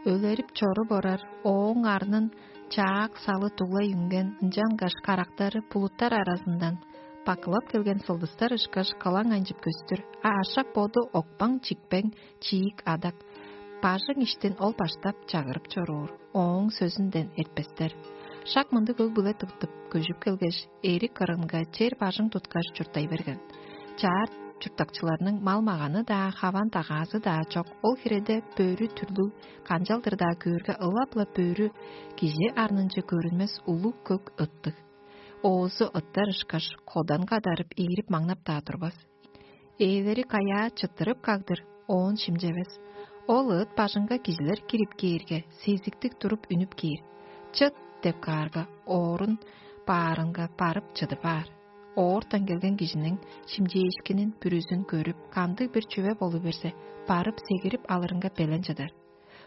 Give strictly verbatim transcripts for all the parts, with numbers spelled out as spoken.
Өлерип чоруп орар, ооң арнын чаак салы дуглай үнген, ынчангаш карактары булуттар аразындан бакылап келген сылдыстар ышкаш кылаң анчып көстүр, а ашак боду окпаң-чикпең чиик адак. Бажың иштин ол баштап чагырып чоруур, ооң сөзүнден эртпестер. Шак мындыг өг-бүле тыптып көжүп келгеш, эрик кырынга чер бажың туткаш чурттай берген. Чаар чурттакчыларның мал-маганы-даа, хаван-дагаазы-даа чок. Ол хиреде бөрү түрлүг, канчалдыр-даа көөрге ылап-ла бөрү, кижи арнынче көрүнмес улуг көк ыттыг. Оозу ыттар ышкаш, кодан кадарып, ийирип маңнап-даа турбас. Ээлери каяа чыттырып кагдыр, оон шимчевес. Ол ыт бажыңга кижилер кирип кээрге, сезиктиг туруп үнүп кээр. «Чыт!» — деп каарга, оорун баарынга барып чыдып аар. Оортан келген кижиниң шимчээшкинин, бүрүзүн көрүп, кандыг-бир чүве болу берзе, барып сегирип алырынга белен чыдар.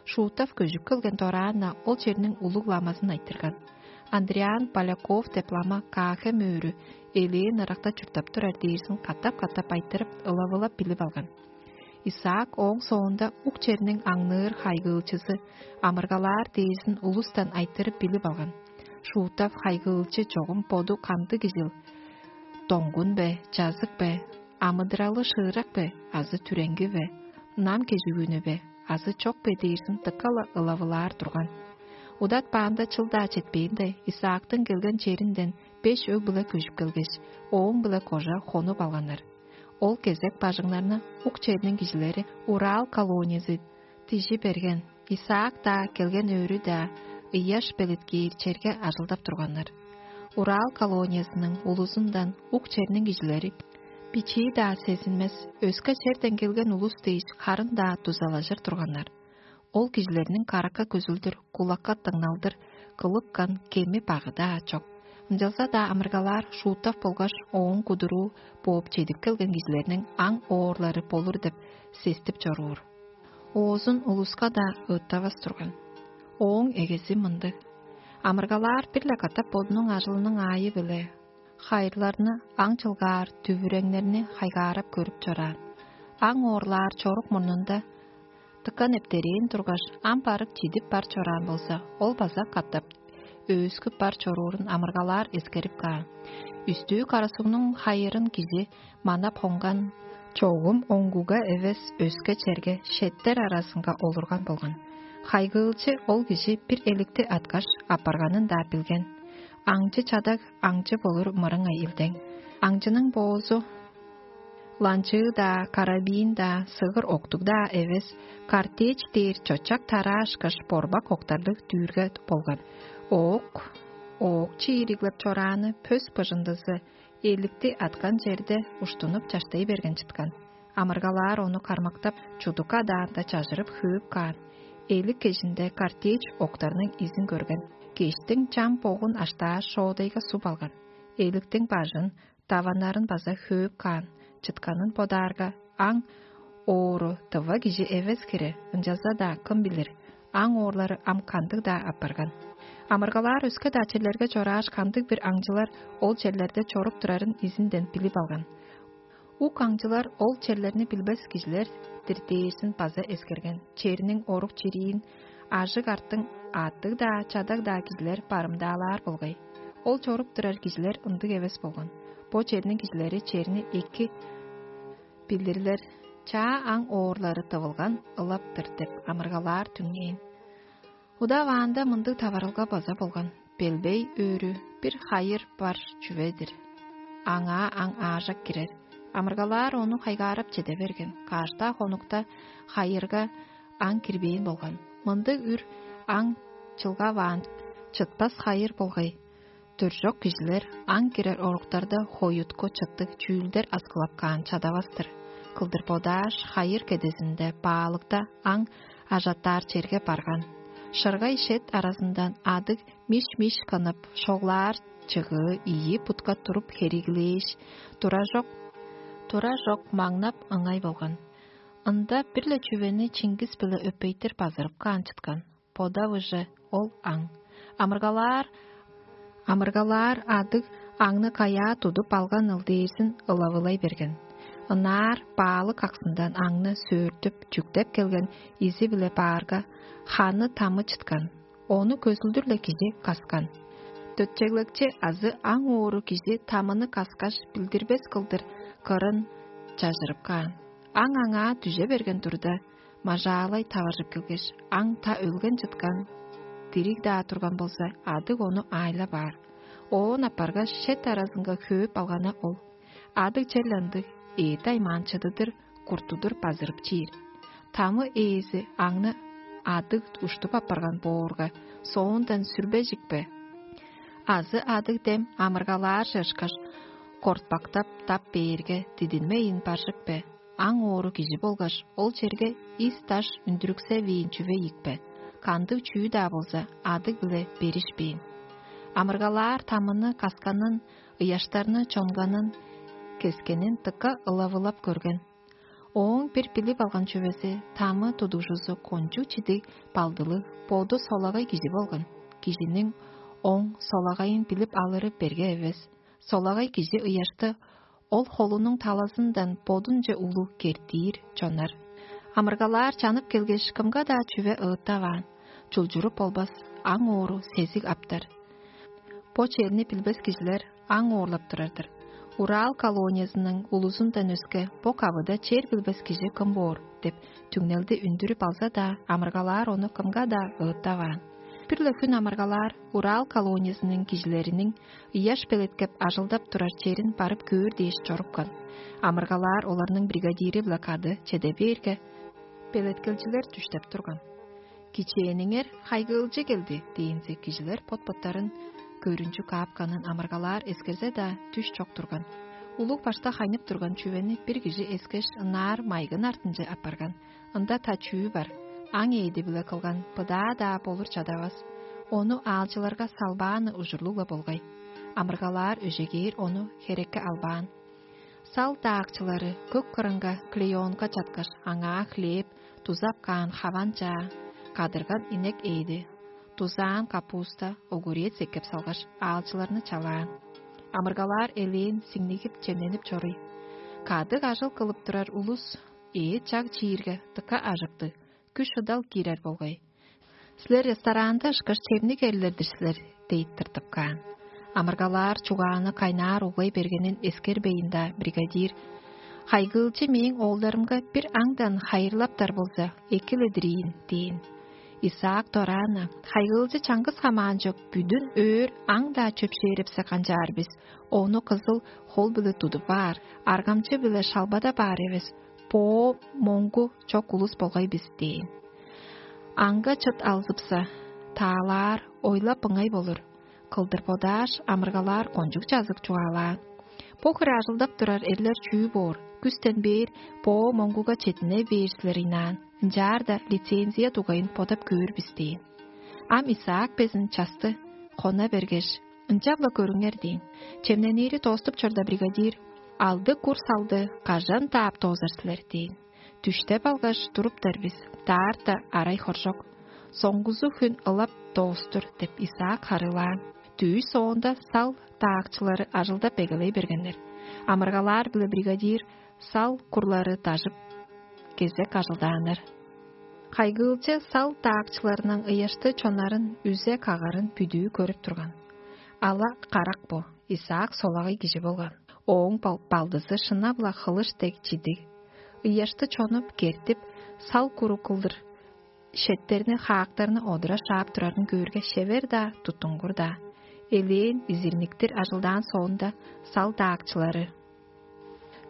Шуутов көжүп келген дораан-на ол черниң улуг ламазын айтырган. Андриан Поляков деп лама Каахем өөрү элээн ыракта чурттап турар дээрзин катап-катап айтырып, ылавылап билип алган. Исаак ооң соонда ук черниң аңныыр хайгыылчызы амыргалаар дээрзин улустан айтырып билип алган. Шуутов хайгыылчы чогум боду кандыг кижил? Доңгун бе, чазык бе, амыдыралы шыырак бе азы түреңги бе, ынам кежигүүнү бе азы чок бе дээрзин дыка-ла ылавылаар турган. Удатпаанда чыл-даа четпээнде, Исаактың келген черинден беш өг-бүле көжүп келгеш, ооң-биле кожа хонуп алганнар. Ол кезек бажыңнарны ук черниң кижилери Урал колониясы дижи берген, Исаак-даа, келген өөрү-даа ыяш белеткээр черге ажылдап турганнар. Урал колониясының улузундан ук черниң кижилери бичии-даа сезинмес, өске черден келген улус дээш харын-даа дузалажыр турганнар. Ол кижилерниң каракка көзүлдүр, кулакка дыңналдыр кылыпкан кеми-багы-даа чок. Ынчалза-даа амыргалаар Шуутов болгаш ооң кудуруу бооп чедип келген кижилерниң аң оорлары болур деп сестип чоруур. Оозун улуска-даа ыыттавас турган. Ооң эгези мындыг: амыргалаар бир-ле катап бодунуң ажылының аайы-биле хайырларны аң чылгаар, дүвүреңнерни хайгаарап көрүп чораан. Аң оорлаар чорук мурнунда дыка нептерээн тургаш, ам барып чидип бар чораан болза, ол база катап өөскүп бар чоруурун амыргалаар эскерип каан. Үстүү карасугнуң хайырын кижи манап хонган, чогум оңгуга эвес, өске черге, шеттер аразынга олурган болган. Хайгыылчы ол кижи бир эликти аткаш, апарганын-даа билген. Аңчы чадаг аңчы болур мырыңай илдең. Аңчының боозу ланчыы-даа, карабин-даа, сыгыр октуг-даа эвес, картечь дээр чочак тараашкаш борбак октарлыг дүүрге болган. Оок, оок чиириглеп чорааны пөс быжындызы эликти аткан черде уштунуп чаштай берген чыткан. Амыргалаар ону кармактап, чудук адаанда чажырып хөөп каан. Элик кежинде картечь октарның изин көрген. Кештиң чам богун аштааш, шоодайга суп алган. Эликтиң бажын, даваннарын база хөөп каан. Чытканын бодаарга, аң оору тыва кижи эвес хире, ынчалза-даа кым билир, аң оорлары ам кандыг-даа апарган. Амыргалаар өске-даа черлерге чорааш, кандыг-бир аңчылар ол черлерде чоруп турарын изинден билип алган. Ук аңчылар ол черлерни билбес кижилер-дир дээрзин база эскерген. Черниң орук-чириин, ажыг-арттың аъттыг-даа, чадаг-даа кижилер барымдаалаар болгай. Ол чоруп турар кижилер ындыг эвес болган. Бо черниң кижилери черни эки билирлер, чаа аң оорлары тывылган ылап-тыр деп амыргалаар түңнээн. Удаваанда мындыг таварылга база болган: белбей өөрү бир хайыр бар чүве-дир. Аңаа аң аажак кирер. Амыргалаар ону хайгаарап чеде берген. Каштаа хонукта хайырга аң кирбээн болган. Мындыг үр аң чылгаваан, чытпас хайыр болгай. Дөржок кижилер аң кирер оруктарда хоюткучуттуг чүүлдер аскылап каан чадавас-тыр. Кылдыр бодааш, хайыр кедезинде баалыкта аң ажаттаар черге барган. Шыргай шет аразындан адыг миш-миш кынып, шоглаар чыгыы ийи бутка туруп хериглээш, туражок, туражок маңнап ыңай болган. Ында бир-ле чүвени чиңгис-биле өпейтир базырып каан чыткан. Бодавыже ол аң. Амыргалаар, амыргалаар адыг аңны каяа тудуп алган ылдээрзин ылавылай берген. ынаар баалык аксындан аңны сөөртүп, чүктеп келген изи-биле баарга, ханы тамы чыткан, ону көзүлдүр-ле кижи каскан. Дөтчеглекчи азы аң оору кижи тамыны каскаш билдирбес кылдыр кырын чажырып каан. Аң аңаа дүже берген турда, мажаалай таваржып келгеш, аң та өлген чыткан, дириг-даа турган болза, адыг ону аайлап аар. Оон апаргаш, шет аразынга хөөп алгана ол. Адыг черле ындыг, эът аймаан чыдыдыр, куртудур базырып чиир. Тамы ээзи аңны адыг уштуп апарган боорга, соондан сүрбежикпе? Азы адыг дем амыргалаар чыышкаш, кортпактап тап бээрге, дидинмейн баржык бе? Аң оору кижи болгаш, ол черге ис-даш үндүрүксевээн чүве ийикпе? Кандыг чүү-даа болза, адыг-биле беришпээн. Амыргалаар тамыны касканын, ыяштарны чонганын, кескенин дыка ылавылап көрген. Ооң бир билип алган чүвези, тамы тудугжузу кончуг чидиг балдылыг, боду солагай кижи болган. Кижиниң оң солагайын билип алыры берге эвес. Солагай кижи ыяшты ол холунуң талазындан бодунче улуг кертиир чонар. Амыргалаар чанып келгеш, кымга-даа чүве ыыттаваан, чулчуруп болбас, аң оору сезиг аптар. Бо черни билбес кижилер аң оорлап турар-дыр. Урал колониязының улузундан өске бо кавыда чер билбес кижи кым боор деп түңнелди үндүрүп алза-даа, амыргалаар ону кымга-даа ыыттаваан. Бир-ле хүн амыргалаар Урал колониязының кижилериниң ыяш белеткеп ажылдап турар черин барып көөр дээш чорупкан. Амыргалаар оларның бригадири-биле кады чеде бээрге, белеткелчилер дүштеп турган. «Кичээниңер хайгыылчы келди» — дээнзе, кижилер бот-боттарын көрүнчү каапканын амыргалаар эскерзе-даа, дүш чок турган. Улуг башта хайнып турган чүвени бир кижи эскеш, ынаар майгын артынче апарган. Ында та чүү бар? Аң ээди-биле кылган быдаа-даа болур чадавас. Ону аалчыларга салбааны ужурлуг-ла болгай. Амыргалаар өжегээр ону херекке албаан. Сал даакчылары көк кырынга клеёнка чаткаш, аңаа хлеб, дузап каан хаван чаа, кадырган инек ээди, дузаан капуста, огурец эккеп салгаш, аалчыларны чалаан. Амыргалаар элээн сиңнигип, чемненип чоруй. Кадыг ажыл кылып турар улус ээ чаг чиирге, дыка ажыктыг, күш-шыдал киирер болгай. «Силер ресторанда ышкаш чемниг эрлер-дир силер» — дейт тыртып каан. Амыргалаар чугааны кайнаар углай бергенин эскербейн-даа, бригадир: «Хайгыылчы мээң оолдарымга бир аңдан хайырлаптар болза, эки-ле-дир ийин» — дээн. Исаак дораан-на: «Хайгыылчы чаңгыс хамаан чок, бүдүн өөр аңдаа чөпшээрепсе канчаар бис? Ону кызыл хол-биле тудуп аар, аргамчы-биле шалбадап аар эвес, боо моңгу чок улус болгай бис» — дээн. Аңга чыт алзыпса, таалаар, ойлап ыңай болур. Кылдыр бодааш, амыргалаар кончуг чазык чугаалаан: «Бо хире ажылдап турар эрлер чүү боор? Күстен бээр боо моңгуга четине бээр силер ыйнаан, ынчаарда лицензия дугайын бодап көөр бис» — дээн. Ам Исаак безин часты кона бергеш: «Ынчап-ла көрүңер» — дээн. Чемненири тооступ чорда, бригадир: «Алды кур салды кажан даап доозар силер?» — дээн. «Дүштеп алгаш, туруптар бис, даарта арай хоржок. Соңгузу хүн ылап доостур» — деп, Исаак харыылаан. Дүъш соонда сал даакчылары ажылдап эгелей бергеннер. Амыргалаар биле бригадир сал курлары дажып, кезек ажылдааннар. Хайгыылчы сал даакчыларының ыяшты чоннарын үзе кагарын бүдүү көрүп турган. Ала карак бо, Исаак солагай кижи болган. Ооң бал- балдызы шынап-ла хылыш дег чидиг. Ыяшты чонуп, кертип, сал куру кылдыр шеттерни, хаактарны одура шаап турарын көөрге, шевер-даа, туттунгур-даа. Элээн изирниктир ажылдаан соонда, сал даакчылары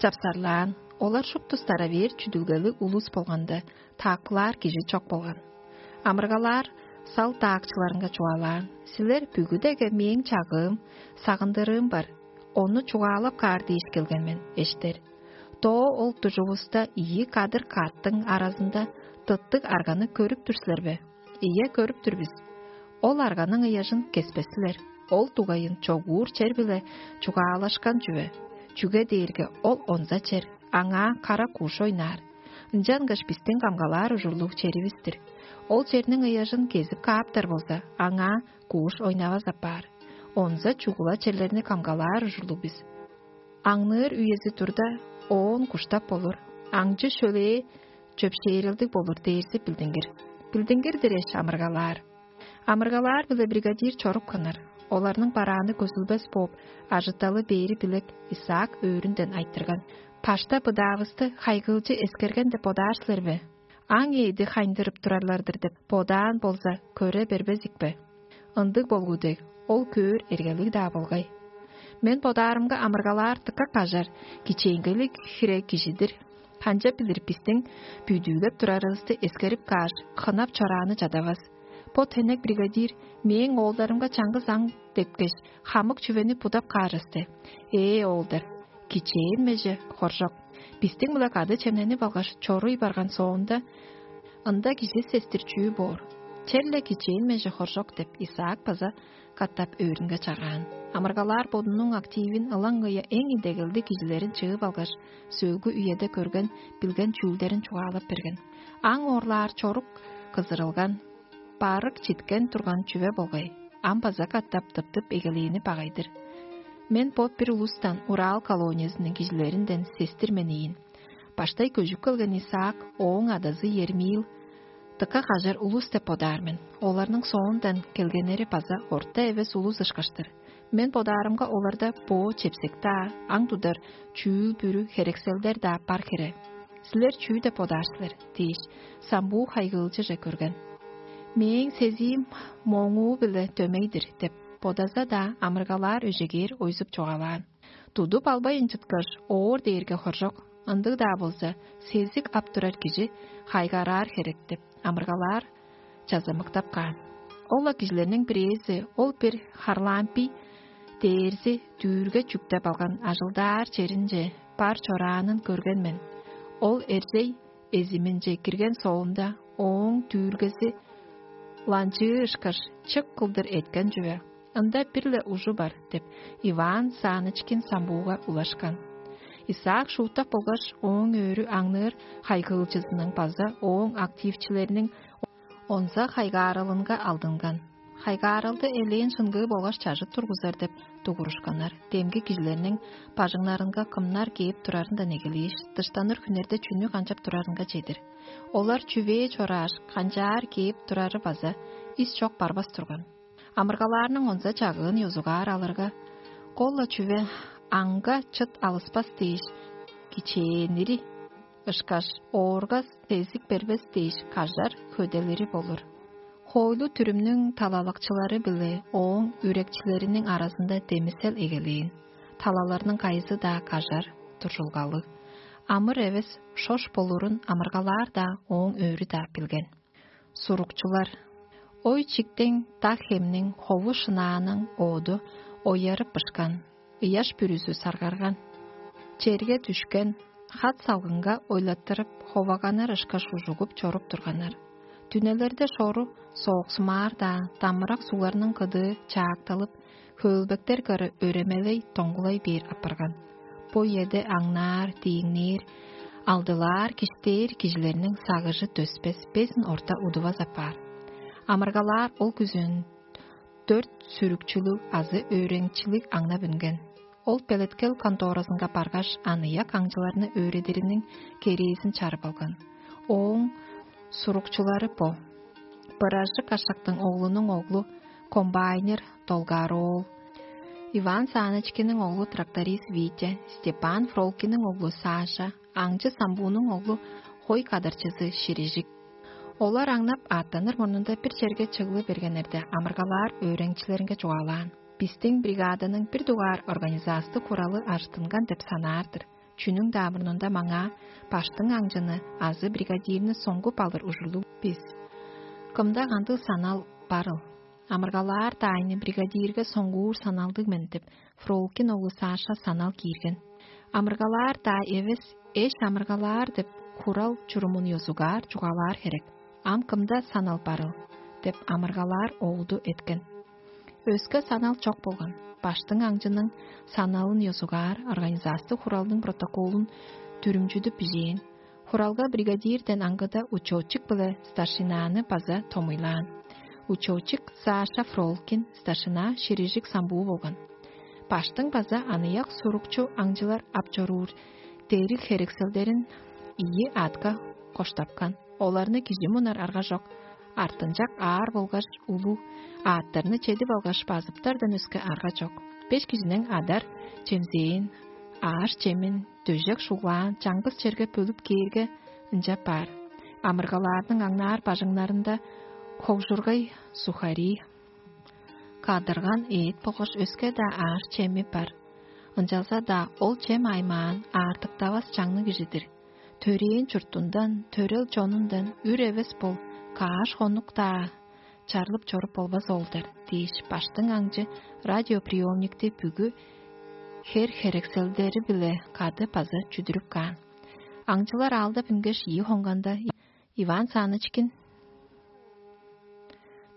чапсарлаан. Олар шупту старовер чүдүлгелиг улус болганда, таакпылаар кижи чок болган. Амыргалаар сал даакчыларынга чугаалаан: «Силер бүгүдеге мээң чагыым, сагындырыым бар. Ону чугаалап каар дээш келген мен, эштер. Доо ол дужувуста ийи кадыр каъттың аразында тыттыг арганы көрүп тур силер бе? Ийе, көрүп тур бис. Ол арганың ыяжын кеспес силер. Ол дугайын чогуур чер-биле чугаалашкан чүве, чүге дээрге ол онза чер, аңаа кара куш ойнаар. Ынчангаш бистиң камгалаар ужурлуг черивис-тир. Ол черниң ыяжын кезип кааптар болза, аңаа куш ойнавас апаар. Онза чугула черлерни камгалаар ужурлуг бис. Аңныыр үези турда, оон куштап болур, аңчы шөлээ чөпшээрелдиг болур дээрзи билдингир. Билдингир-дир эш амыргалаар. Амыргалаар-биле бригадир чорупканнар. Оларның барааны көзүлбес бооп, ажыталы бээри билек Исаак өөрүнден айтырган: «Пашта быдаавысты хайгыылчы эскерген деп бодаар силер бе? Аң ээди хайындырып турарлар-дыр деп бодаан болза, көре бербезик бе? Ындыг болгу дег, ол көөр эргелиг-даа болгай. Мен бодаарымга амыргалаар дыка кажар, кичээнгейлиг хире кижи-дир. Канчап билир, бистиң бүдүүлеп турарывысты эскерип кааш, хынап чорааны чадавас. Бо тенек бригадир мээң оолдарымга чаңгыс аң депкеш, хамык чүвени будап каар эсте. Ээ, оолдар, кичээн меже хоржок. Бистиң-биле кады чемненип алгаш, чоруй барган соонда, ында кижи сестир чүү боор? Черле кичээн меже хоржок» — деп, Исаак база катап өөрүнге чагаан. Амыргалаар бодунуң активин ылаңгыя эң идегелдиг кижилерин чыып алгаш, сөөлгү үеде көрген, билген чүүлдерин чугаалап берген. Аң оорлаар чорук кызырылган, барык читкен турган чүве болгай. Ам база катап тыптып эгелээни багай-дыр. Мен бо бир улустан, Урал колониязының кижилеринден сестир мен ийин. Баштай көжүп келген Исаак, ооң адазы Ермил дыка кажар улус деп бодаар мен. Оларның соондан келгеннери база орта эвес улус ышкаш-тыр. Мен бодаарымга, оларда боо чепсек-даа, аң тудар чүүл-бүрү, херекселдер-даа бар хире. «Силер чүү деп бодаар силер?» — дээш, самбуу хайгыылчыже көрген. «Мээң сезиим моңуу-биле дөмей-дир» — деп бодаза-даа, амыргалаар өжегээр ойзуп чугаалаан. Тудуп албайн чыткаш, оор дээрге хоржок, ындыг-даа болза, сезик ап турар кижи хайгаараар херек деп, амыргалаар чазамыктап каан. Ол-ла кижилерниң бирээзи, ол бир Харлампий дээрзи, дүүрге чүктеп алган, ажылдаар черинче бар чораанын көрген мен. Ол эрзей эзиминче кирген соонда, ооң дүүргези ланчыы ышкаш, чык кылдыр эткен чүве. «Ында бир-ле ужу бар» — деп, Иван Санычкин самбууга улашкан. Исаак шууттап болгаш, ооң өөрү аңныыр хайгыылчызының база ооң активчилериниң онза хайгааралынга алдынган. Хайгааралды элээн шынгыы болгаш чажыт тургузар деп дугурушканнар. Демги кижилерниң бажыңнарынга кымнар кээп турарындан эгелээш, дыштаныр хүннерде чүнү канчап турарынга чедир. Олар чүвээ чорааш, канчаар кээп турары база ис чок барбас турган. Амыргалаарның онза чагыын ёзугаар алырга, кол-ла чүве аңга чыт алыспас дээш, кичээнири ышкаш, оорга сезик бербес дээш, кажар хөделири болур. Хоойлу-дүрүмнүң талалакчылары биле ооң үрекчилериниң аразында демисел эгелээн. Талаларның кайызы-даа кажар, туржулгалыг. Амыр эвес шош болурун амыргалаар-даа, ооң өөрү-даа билген. Сурукчулар. Ой чиктең, дак хемниң, хову шынааның оду оярып бышкан, ыяш бүрүзү саргарган. Черге дүшкен, хат салгынга ойлаттырып, ховаганнар ышкаш ужугуп чоруп турганнар. Түнелерде шору сооксумаар-даа, дамырак сугларның кыдыы чаакталып, хөөлбектер кыры өремелей доңгулай бээр апарган. Бо үеде аңнаар, дииңнээр, алдылаар, киштээр кижилерниң сагыжы дөспес, безин орта удувас апаар. Амыргалаар ол күзөөн дөрт сүрүкчүлүг азы өөреникчилиг аңнап үнген. Ол белеткел конторазынга баргаш, аныяк аңчыларны өөредириниң керээзин чарып алган. Ооң сурукчулары бо: Быражык Ашактың оглунуң оглу, комбайнер Долгар-оол, Иван Санычкинниң оглу, тракторист Витя, Степан Фролкинниң оглу Саша, аңчы Самбуунуң оглу, хой кадарчызы Ширижик. Олар аңнап, аъттаныр мурнунда бир черге чыглы бергеннерде, амыргалаар өөреникчилеринге чугаалаан: «Бистиң бригаданың бир дугаар организастыг хуралы ажыттынган деп санаар-дыр. Чүнүң-даа мурнунда маңаа баштың аңчыны азы бригадирни соңгуп алыр ужурлуг бис. Кымда кандыг санал барыл? Амыргалаар-даа айны бригадирге соңгуур саналдыг мен» — деп, Фролкин оглу Саша санал киирген. Амыргалаар-даа эвес, эш амыргалаар деп, хурал чурумун ёзугаар чугаалаар херек. «Ам кымда санал барыл?» — деп, амыргалаар оолду эткен. Өске санал чок болган. Баштың аңчының саналын ёзугаар организастыг хуралдың протоколун дүрүмчүдүп бижээн. Хуралга бригадирден аңгыда учетчик биле старшинаны база томуйлаан. Учетчик Саша Фролкин, старшина Ширижик Самбуу болган. Баштың база аныяк сурукчу аңчылар ап чоруур дериг херекселдерин ийи аътка коштапкан. Оларны кижи мунар арга чок, артынчак аар болгаш улуг аъттарны чедип алгаш, базыптардан өске арга чок. Беш кижиниң адар чемзээн, ааш-чемин, дөжек шуглаан чаңгыс черге бөлүп кээрге, ынчап баар. Амыргалаарның аңнаар бажыңнарында ховжургай, сухари, кадырган эът болгаш өске-даа ааш-чеми бар. Ынчалза-даа ол чем аймаан аартыктавас чаңныг кижи-дир. Төрээн чуртундан, төрел чонундан үр эвес бол, кааш хонук-даа чарлып чоруп болбас ол-дур дээш, баштың аңчы радиоприемникти бүгү хер-херекселдери-биле кады база чүдүрүп каан. Аңчылар аалдап үнгеш, ийи хонганда Иван Санычкин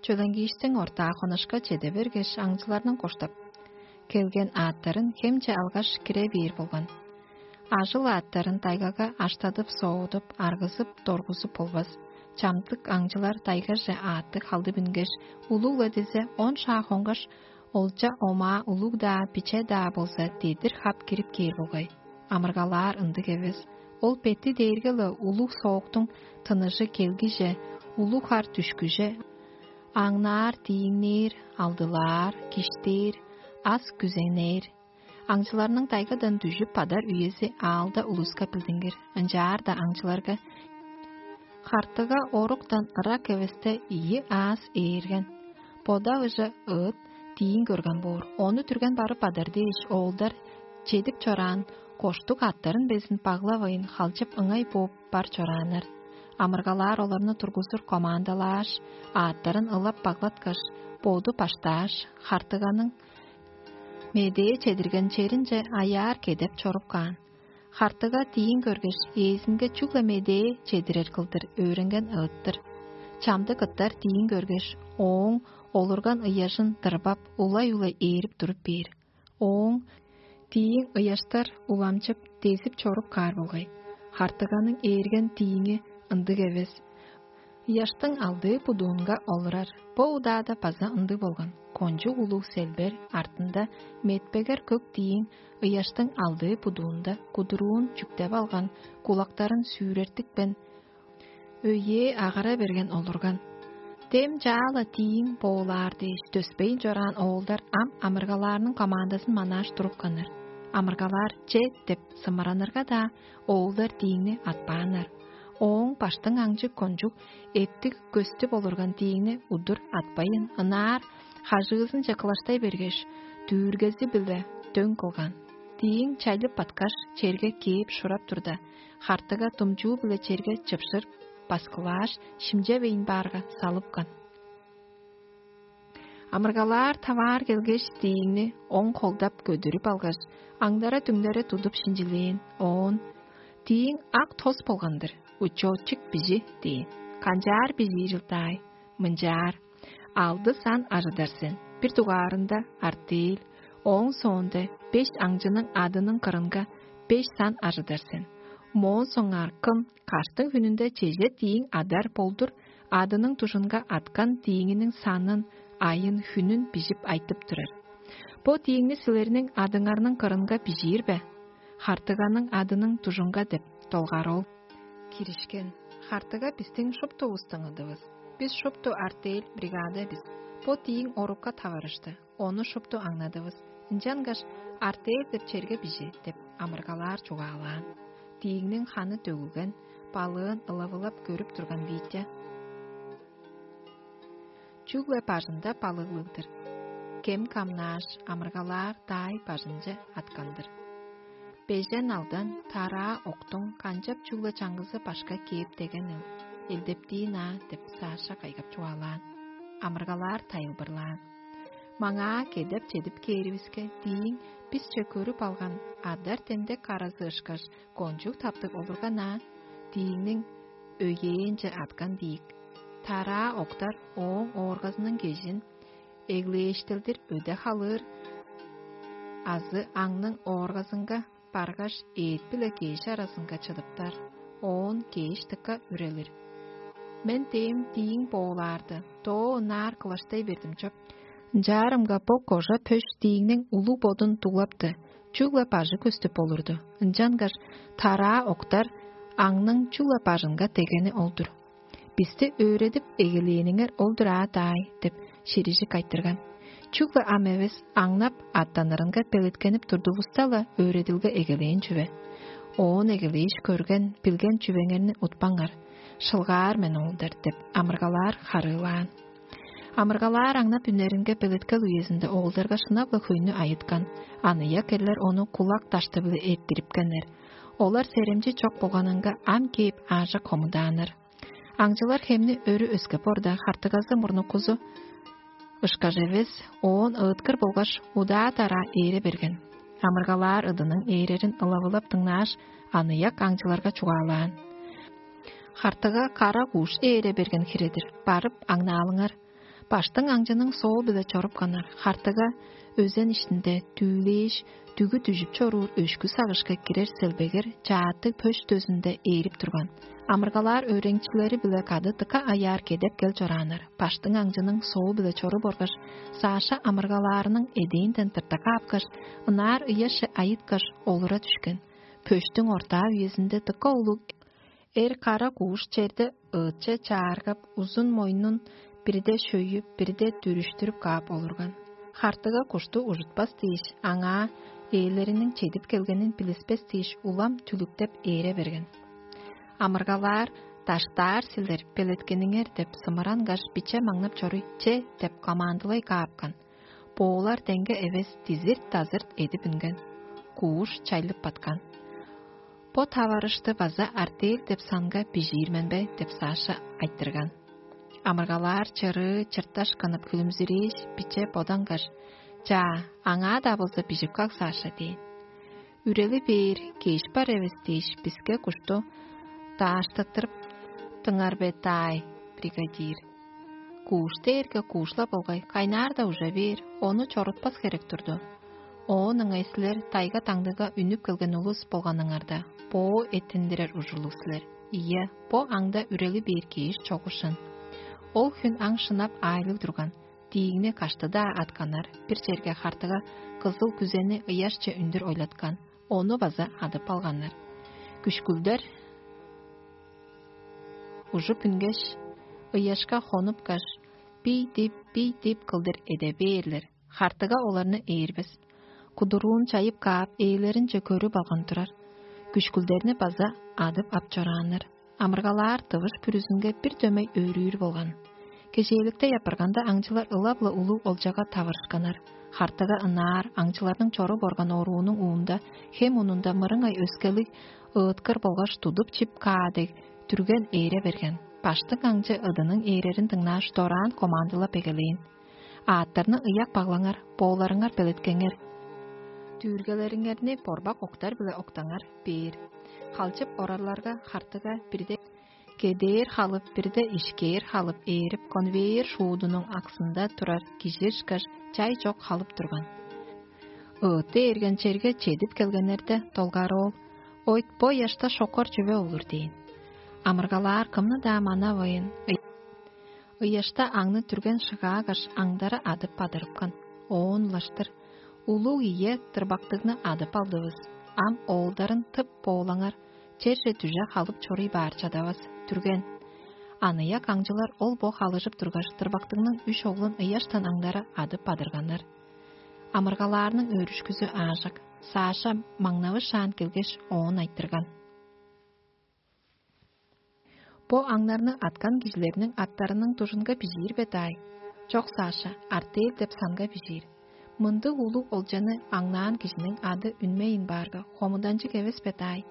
чөленгииштиң ортаа хонушка чеде бергеш, аңчыларның коштап келген аъттарын хемче алгаш, кире бээр болган. Ажыл аъттарын тайгага аштадып, соодуп, аргызып, доргузуп болбас. Чамдык аңчылар тайгаже аъттыг халдып үнгеш, улуг-ла дизе он шаа хонгаш, олча омаа улуг-даа, биче-даа болза, дедир хап кирип кээр болгай. Амыргалаар ындыг эвес. Ол бети дээрге-ле улуг сооктуң тыныжы келгиже, улуг хар дүшкүже, аңнаар, дииңнээр, алдылаар, киштээр, ас күзенээр. Аңчыларның тайгадан дүжүп бадар үези аалда улуска билдингир. Ынчаар-даа аңчыларга хартыга оруктан ырак эвесте ийи аас ээрген. Бода ыжы ыыт диин көрген боор. Ону түрген барып бадар дээш, оолдар чедип чораан коштуг аттарын безин баглавайн, халчып ыңай бооп бар чорааннар. Амыргалаар оларны тургузур командалааш, аъттарын ылап баглаткаш, боду баштааш, хартыганың медээ чедирген черинче аяар кедеп чоруп каан. Хартыга диин көргеш, ээзинге чүгле медээ чедирер кылдыр өөренген ыыттыр. Чамдык ыттар диин көргеш, ооң олурган ыяжын дырбап, улай-улай ээрип туруп бээр. Ооң дииң ыяштар уламчып, дезип чоруп каар болгай. Хартыганың ээрген дииңи ындыг эвес. Ыяштың алдыы будуунга олурар. Бо удаада база ындыг болган. Кончуг улуг селбер артында метпегер көк дииң ыяштың алдыы будуунда кудуруун чүктеп алган, кулактарын сүүрертипкен, өйээ агара берген олурган. Дем чаала дииң боолаар дээш, төспейн чораан оолдар ам амыргалаарның командазын манааш турупканнар. Амыргалаар че деп сымыранырга-даа, оолдар дииңни атпааннар. Ооң баштың аңчы кончуг эптиг көстүп олурган дииңни удур атпайын, ынаар хажыызынче кылаштай бергеш, дүүргези-биле дөң кылган. Дииң чайлып баткаш, черге кээп шурап турда, хартыга думчуу-биле черге чыпшыр баскылааш, шимчевейн баарга салыпкан. Амыргалаар таваар келгеш, дииңни оң холдап көдүрүп алгаш, аңдара-дүңнере тудуп шинчилээн. Оон: «Дииң ак тос болган-дыр, учётчик бижи» – дээн. «Канчаар бижиир ылдаай?» «Мынчаар: алды сан ажыдар сен, бир дугаарында артель, ооң соонда беш аңчының адының кырынга беш сан ажыдар сен. Моон соңгаар кым каштың хүнүнде чеже дииң адар болдур, адының дужунга аткан дииңиниң санын, айын, хүнүн бижип айтып турар. Бо дииңни силерниң адыңарның кырынга бижиир бе? Хартыганың адының дужунга» – деп долгар ол. Киришкен: «Хартыга бистиң шуптувустуң ыдывыс. Бис шупту артель, бригада бис. Бо дииң орукка таварышты. Ону шупту аңнадывыс. Ынчангаш артель деп черге бижи» – деп амыргалаар чугаалаан. Дииңниң ханы төгүлген, балыын ылавылап көрүп турган Витя чүгле бажында балыглыг-дыр. Кем камнааш, амыргалаар даай бажынче аткан-дыр. «Бежен алдан тараа октуң канчап чүгле чаңгызы башка кээп дегенил, элдептиин аа» – деп Саша кайгап чугаалаан. Амыргалаар тайылбырлаан: «Маңаа кедеп чедип кээривиске, дииң бисче көрүп алган адар тендек каразы ышкаш, кончуг таптыг олурган аа. Дииңниң өйээнче аткан диик. Тараа октар ооң ооргазының кежин эглээштелдир өде халыыр, азы аңның ооргазынга баргаш, эът биле кеш аразынга чыдыптар, оон кеш дыка үрелир. Мен дээм дииң боолаарды, доо ынаар кылаштай бердим чоп. Ынчаарымга бо кожа пөш дииңниң улуг бодун дуглапты. чүгле бажы көстүп болурду. Ынчангаш тараа октар аңның чүгле бажынга дегени ол-дур. «Бисти өөредип эгелээниңер ол-дур аа, даай» – деп ширижик айтырган. Чүгле ам эвес, аңнап, аттанырынга белеткенип турдувуста-ла, өөредилге эгелээн чүве. Оон эгелээш көрген, билген чүвеңерни утпаңар. «Шылгаар мен, оолдар» – деп амыргалаар харыылаан. Амыргалаар аңнап үнеринге белеткел үезинде оолдарга шынап-ла хөйнү айыткан. Аныяк эрлер ону кулак дашты-биле эрттирипкеннер. Олар серемчи чок болганынга ам кээп аажок хомудааннар. Аңчылар хемни өрү өскеп орда, хартыгазы мурнуккузу ышкаш эвес, оон ыыткыр болгаш удаа-дараа ээре берген. Амыргалаар ыдының ээрерин ылавылап дыңнааш, аныяк аңчыларга чугаалаан: «Хартыга кара кууш ээре берген хире-дир, барып аңнаалыңар». Баштың аңчының соол-биле чорупканнар. Хартыга өзен иштинде түүлээш, дүгү дүжүп чоруур өшкү сагышка кирер селбегер чааттыг пөш дөзүнде ээрип турган. Амыргалаар өөреникчилери-биле кады дыка аяар кедеп кел чорааннар. Баштың аңчының соол-биле чоруп оргаш, Саша амыргалаарының эдээнден тырта каапкаш, ынаар ыяшче айыткаш, олура дүшкен. Пөштүң ортаа үезинде дыка улуг эр кара кууш черде ыытче чааргап, узун мойнун бирде шөйүп, бирде дүрүштүрүп каап олурган. Хартыга кушту ужутпас дээш, аңаа ээлериниң чедип келгенин билиспес дээш, улам түлүктеп ээре берген. Амыргалаар: «Даштаар силер, белеткениңер» – деп сымырангаш, биче маңнап чоруй: «Че!» – деп командылай каапкан. Боолар деңге эвес, дизирт-дазырт эдип үнген. Кууш чайлып баткан. «Бо таварышты база артель деп санга бижиир мен бе?» – деп Саша айтырган. Амыргалаар чырыы чырташ кынып, хүлүмзүрээш, биче бодангаш: «Чаа, аңаа-даа болза бижип каг, Саша» – дээн. «Үрели бээр, кеш бар эвес дээш, биске кушту дааштыттырып дыңар бе, даай, бригадир? Кууш дээрге куушла болгай, кайнаар-даа ужа бээр, ону чорутпас херек турду. Оон ыңай силер тайга-таңдыга үнүп келген улус болганыңарда, боо эттиндирер ужурлуг силер. Ийе, бо аңда үрели бээр кеш чогушан». Ол хүн аң шынап аайлыг турган. Диигни кашты-даа атканнар, бир черге хартыга кызыл күзени ыяшче үндүр ойлаткан, ону база адып алганнар. Күшкүлдер ужуп үнгеш, ыяшка хонупкаш, бий-дип, бий-дип кылдыр эде бээрлер. Хартыга оларны ээрбес. Кудуруун чайып каап, ээлеринче көрүп алган турар. Күшкүлдерни база адып ап чорааннар. Амыргалаар тывыш бүрүзүнге бир дөмей өөрүүр болган. Кежээликте яппырганда, аңчылар ылап-ла улуг олчага тавырышканнар. Хартыга ынаар аңчыларның чоруп орган оруунуң уунда, хем унунда мырыңай өскелиг ыыткыр болгаш тудуп чип каа дег, түрген ээре берген. Баштың аңчы ыдының ээрерин дыңнааш, дораан командылап эгелээн: «Аъттарны ыяк баглаңар, бооларыңар белеткеңер. Дүүргелериңерни борбак октар-биле октаңар» – бээр. Халчып орарларга, хартыга бирде кедээр халып, бирде ишкээр халып ээрип, конвейер шуудунуң аксында турар кижи ышкаш чай чок халып турган. «Ыыты эрген черге чедип келгеннерде, долгары ол: „Ойт, бо ыяшта шокор чүве олур“ – дээн. Амыргалаар кымны-даа манавайн, ыяшта аңны түрген шыгаагаш, аңдары адып бадырыпкан. Оон улаштыр: „Улуг ийе, тырбактыгны адып алдывыс. Ам оолдарын тып боолаңар, черже дүже халып чоруй баар чадавас, түрген“». Аныяк аңчылар ол-бо халыжып тургаш, тырбактыгның үш оглун ыяштан аңдары адып бадырганнар. Амыргалаарның өөрүшкүзү аажок. Саша маңнавышаан келгеш, оон айтырган: «Бо аңнарны аткан кижилерниң аттарының дужунга бижиир бе, даай?» «Чок, Саша, артель деп санга бижиир. Мындыг улуг олчаны аңнаан кижиниң ады үнмейн баарга, хомуданчыг эвес бе, даай?»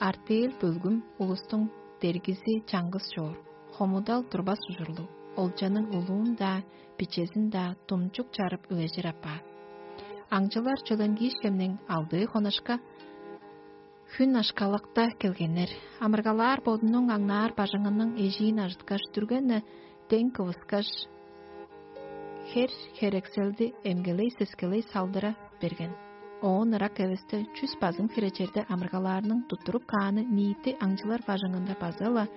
«Артель бөлгүм улустуң дергизи чаңгыс чоор, хомудал турбас ужурлуг, олчаның улуун-даа, бичезин-даа думчук чарып үлежир апаар». Аңчылар Чөленгиишкемниң алдыы хонашка хүн ашкалакта келгеннер. Амыргалаар бодунуң аңнаар бажыңының эжиин ажыткаш, дүрген-не дең кывыскаш, хер-херекселди эмгелей-сескелей салдыра берген. Оон ырак эвесте чүс базың хире черде амыргалаарның туттуруп кааны ниити аңчылар бажыңында база-ла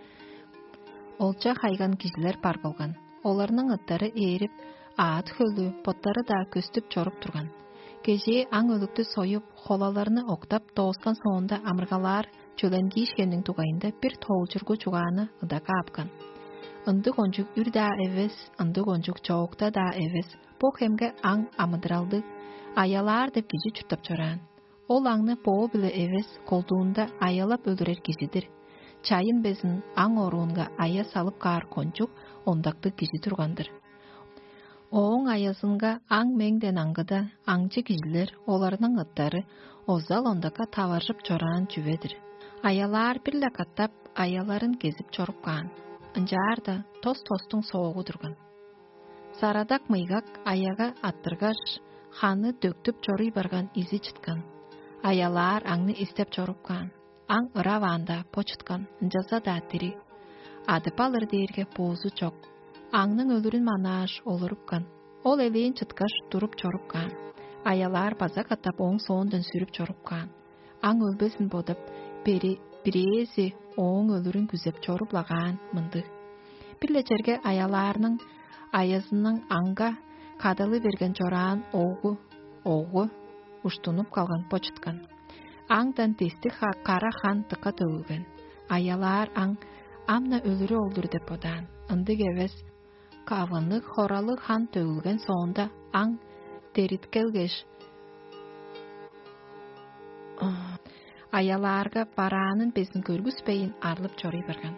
олча хайган кижилер бар болган. Оларның ыттары ээрип, аът-хөлү, боттары-даа көстүп чоруп турган. Кежээ аң өлүктү союп, холаларны октап дооскан соонда, амыргалаар чөленгиишкенниң дугайында бир тоолчургу чугааны ыда каапкан. Ындыг кончуг үр-даа эвес, ындыг кончуг чоокта-даа эвес, бо хемге аң амыдыралдыг, аялаар деп кижи чурттап чораан. Ол аңны боо-биле эвес, колдуунда аялап өлүрер кижи-дир. Чайын безин аң оруунга ая салып каар кончуг ондактыг кижи турган-дыр. Ооң аязынга аң меңден аңгыда, аңчы кижилер, оларның ыттары озал ондакка таваржып чораан чүве-дир. Аялаар бир-ле катап аяларын кезип чоруп каан. Ынчаарда тос-тостуң соогу турган. Сарадак мыйгак аяга аттыргаш, ханы дөктүп чоруй барган изи чыткан. Аялаар аңны истеп чоруп каан. Аң ыраваанда бо чыткан, ынчалза-даа дириг. Адып алыр дээрге боозу чок. Аңның өлүрүн манааш, олурупкан. Ол элээн чыткаш, туруп чорупкаан. Аялаар база катап ооң соондан сүрүп чорупкаан. Аң өлбезин бодап, бери бирээзи ооң өлүрүн күзеп чоруп-ла каан мындыг: «Бир-ле черге аялаарның аязының аңга кадалы берген чораан огу, огу уштунуп калган бо чыткан». Аңдан дестиг кара хан дыка төгүлген. Аялаар аң ам-на өлүрү ол-дур деп бодаан. Ындыг эвес, кавынныг хоралыг хан төгүлген соонда, аң дериткелгеш, аялаарга бараанын безин көргүспейн, арлып чоруй барган.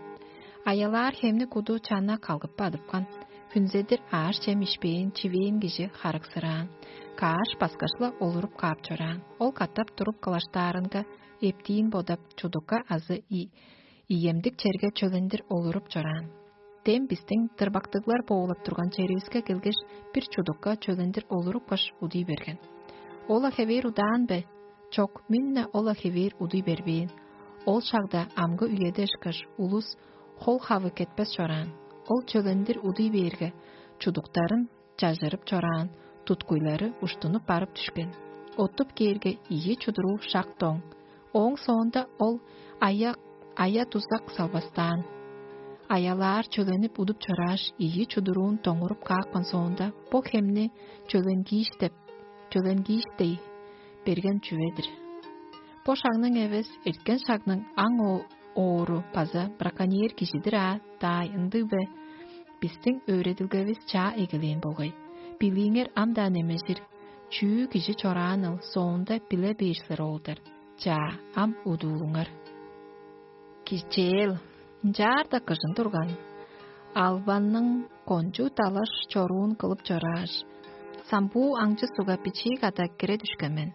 Аялаар хемни куду чанна калгып бадыпкан. Хүнзедир ааш-чем ишпээн, чивээн кижи харыксыраан, кааш баскаш-ла олуруп каап чораан. Ол катап туруп кылаштаарынга, эптиин бодап, чудукка азы иемдик черге чөлендир олуруп чораан. Дем бистиң тырбактыглар боолап турган черивиске келгеш, бир чудукка чөлендир олурупкаш, удуй берген. Ол-ла хевээр удаан бе? Чок, мин-не ол-ла хевээр удуй бербээн. Ол шагда амгы үеде ышкаш, улус хол-хавы кетпес чораан. Ол чөлендир удуй бээрге, чудуктарын чажырып чораан, туткуйлары уштунуп барып дүшкен. Оттуп кээрге, ийи чудуруу шак доң. Ооң соонда ол ая, ая-дузак салбастаан. Аялаар чөленип удуп чорааш, ийи чудуруун доңуруп каапкан соонда, бо хемни чөленгииш деп, чөленгииш дей берген чүве-дир. Бо шагның эвес, эрткен шагның аң оору база браконьер кижи-дир аа, даай, ындыг бе? Бистиң өөредилгевис чаа эгелээн болгай. Билииңер ам-даа немежир, чүү кижи чорааныл соонда биле бээр силер, оолдар. Чаа, ам удуулуңар. Кичээл, ынчаарда кыжын турган, албанның кончуг далаш чоруун кылып чорааш, самбуу аңчы сугга бичии када кире дүшкен мен.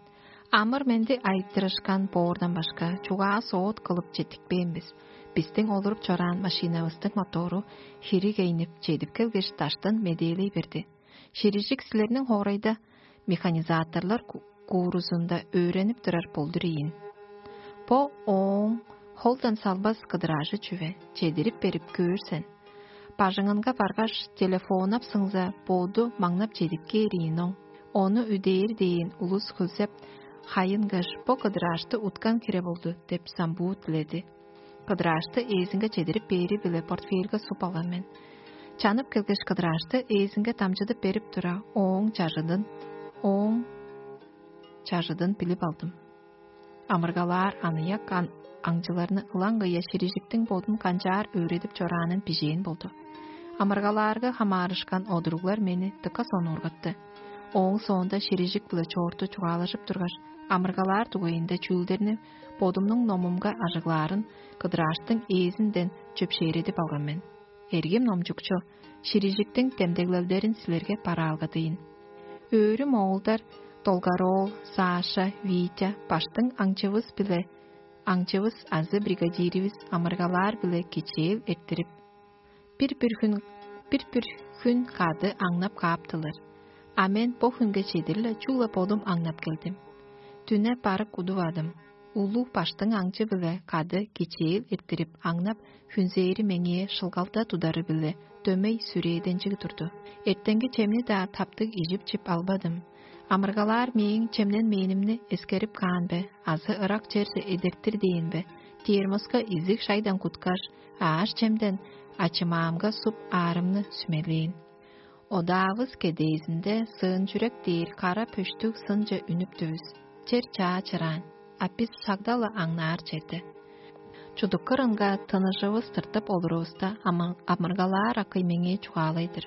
Амыр-менди айтырышкан боордан башка, чугаа-соот кылып четтикпээн бис. Бистиң олуруп чораан машинавыстың мотору хири кейнип, чедип келгеш, даштан медээлей берди: «Ширижик силерниң хоорайда механизаторлар куурузунда өөренип турар болдур ийин. Бо ооң холдан салбас кыдыраажы чүве, чедирип берип көөр сен. Бажыңынга баргаш, телефоннап сыңза, боду маңнап чедип кээр ийин оң. Ону үдээр дээн улус хөлзеп, хайынгаш, бо кыдыраашты уткан хире болду» — деп самбуу диледи. Кыдыраашты ээзинге чедирип бээри-биле портфельге суп алган мен. Чанып келгеш, кыдыраашты ээзинге дамчыдып берип тура, ооң чажыдын, ооң чажыдын билип алдым. Амыргалаар аныяк ан аңчыларны ылаңгыя Ширижиктиң бодун канчаар өөредип чораанын бижээн болду. Амыргалаарга хамаарышкан одуруглар мени дыка сонуургатты. Ооң соонда Ширижик-биле чоорту чугаалажып тургаш, амыргалаар дугайында чүүлдерни бодумнуң номумга ажыглаарын кыдырааштың ээзинден чөпшээредип алган мен. Эргим номчукчу, Ширижиктиң демдеглелдерин силерге бараалгадыйн. Өөрүм оолдар Долгароол, Саша, Витя баштың аңчывыс-биле аңчывыс азы бригадиривис амыргалаар-биле кичээл эрттирип, бир-бир хүн, бир-бир хүн кады аңнап кааптылар. А мен бо хүнге чедир-ле чүгле бодум аңнап келдим. Дүне барык удувадым. Улуг баштың аңчы-биле кады кичээл эрттирип аңнап, хүнзээри меңээ шылгалда тудары-биле дөмей сүрээденчиг турду. Эртенги чемни-даа таптыг ижип-чип албадым. Амыргалаар мээң чемненмээнимни эскерип каан бе азы ырак черже эдертир дээн бе, термоска изиг шайдан куткаш, ааш-чемден ачымаамга суп аарымны сүмелээн. Одаавыс кедээзинде сыын чүрек дээр кара пөштүг сынче үнүптүвүс. Чер чаа чыраан, а бис шагда-ла аңнаар черде. Чудук кырынга тыныжывыс тыртып олурувуста, амыргалаар акый меңээ чугаалай-дыр: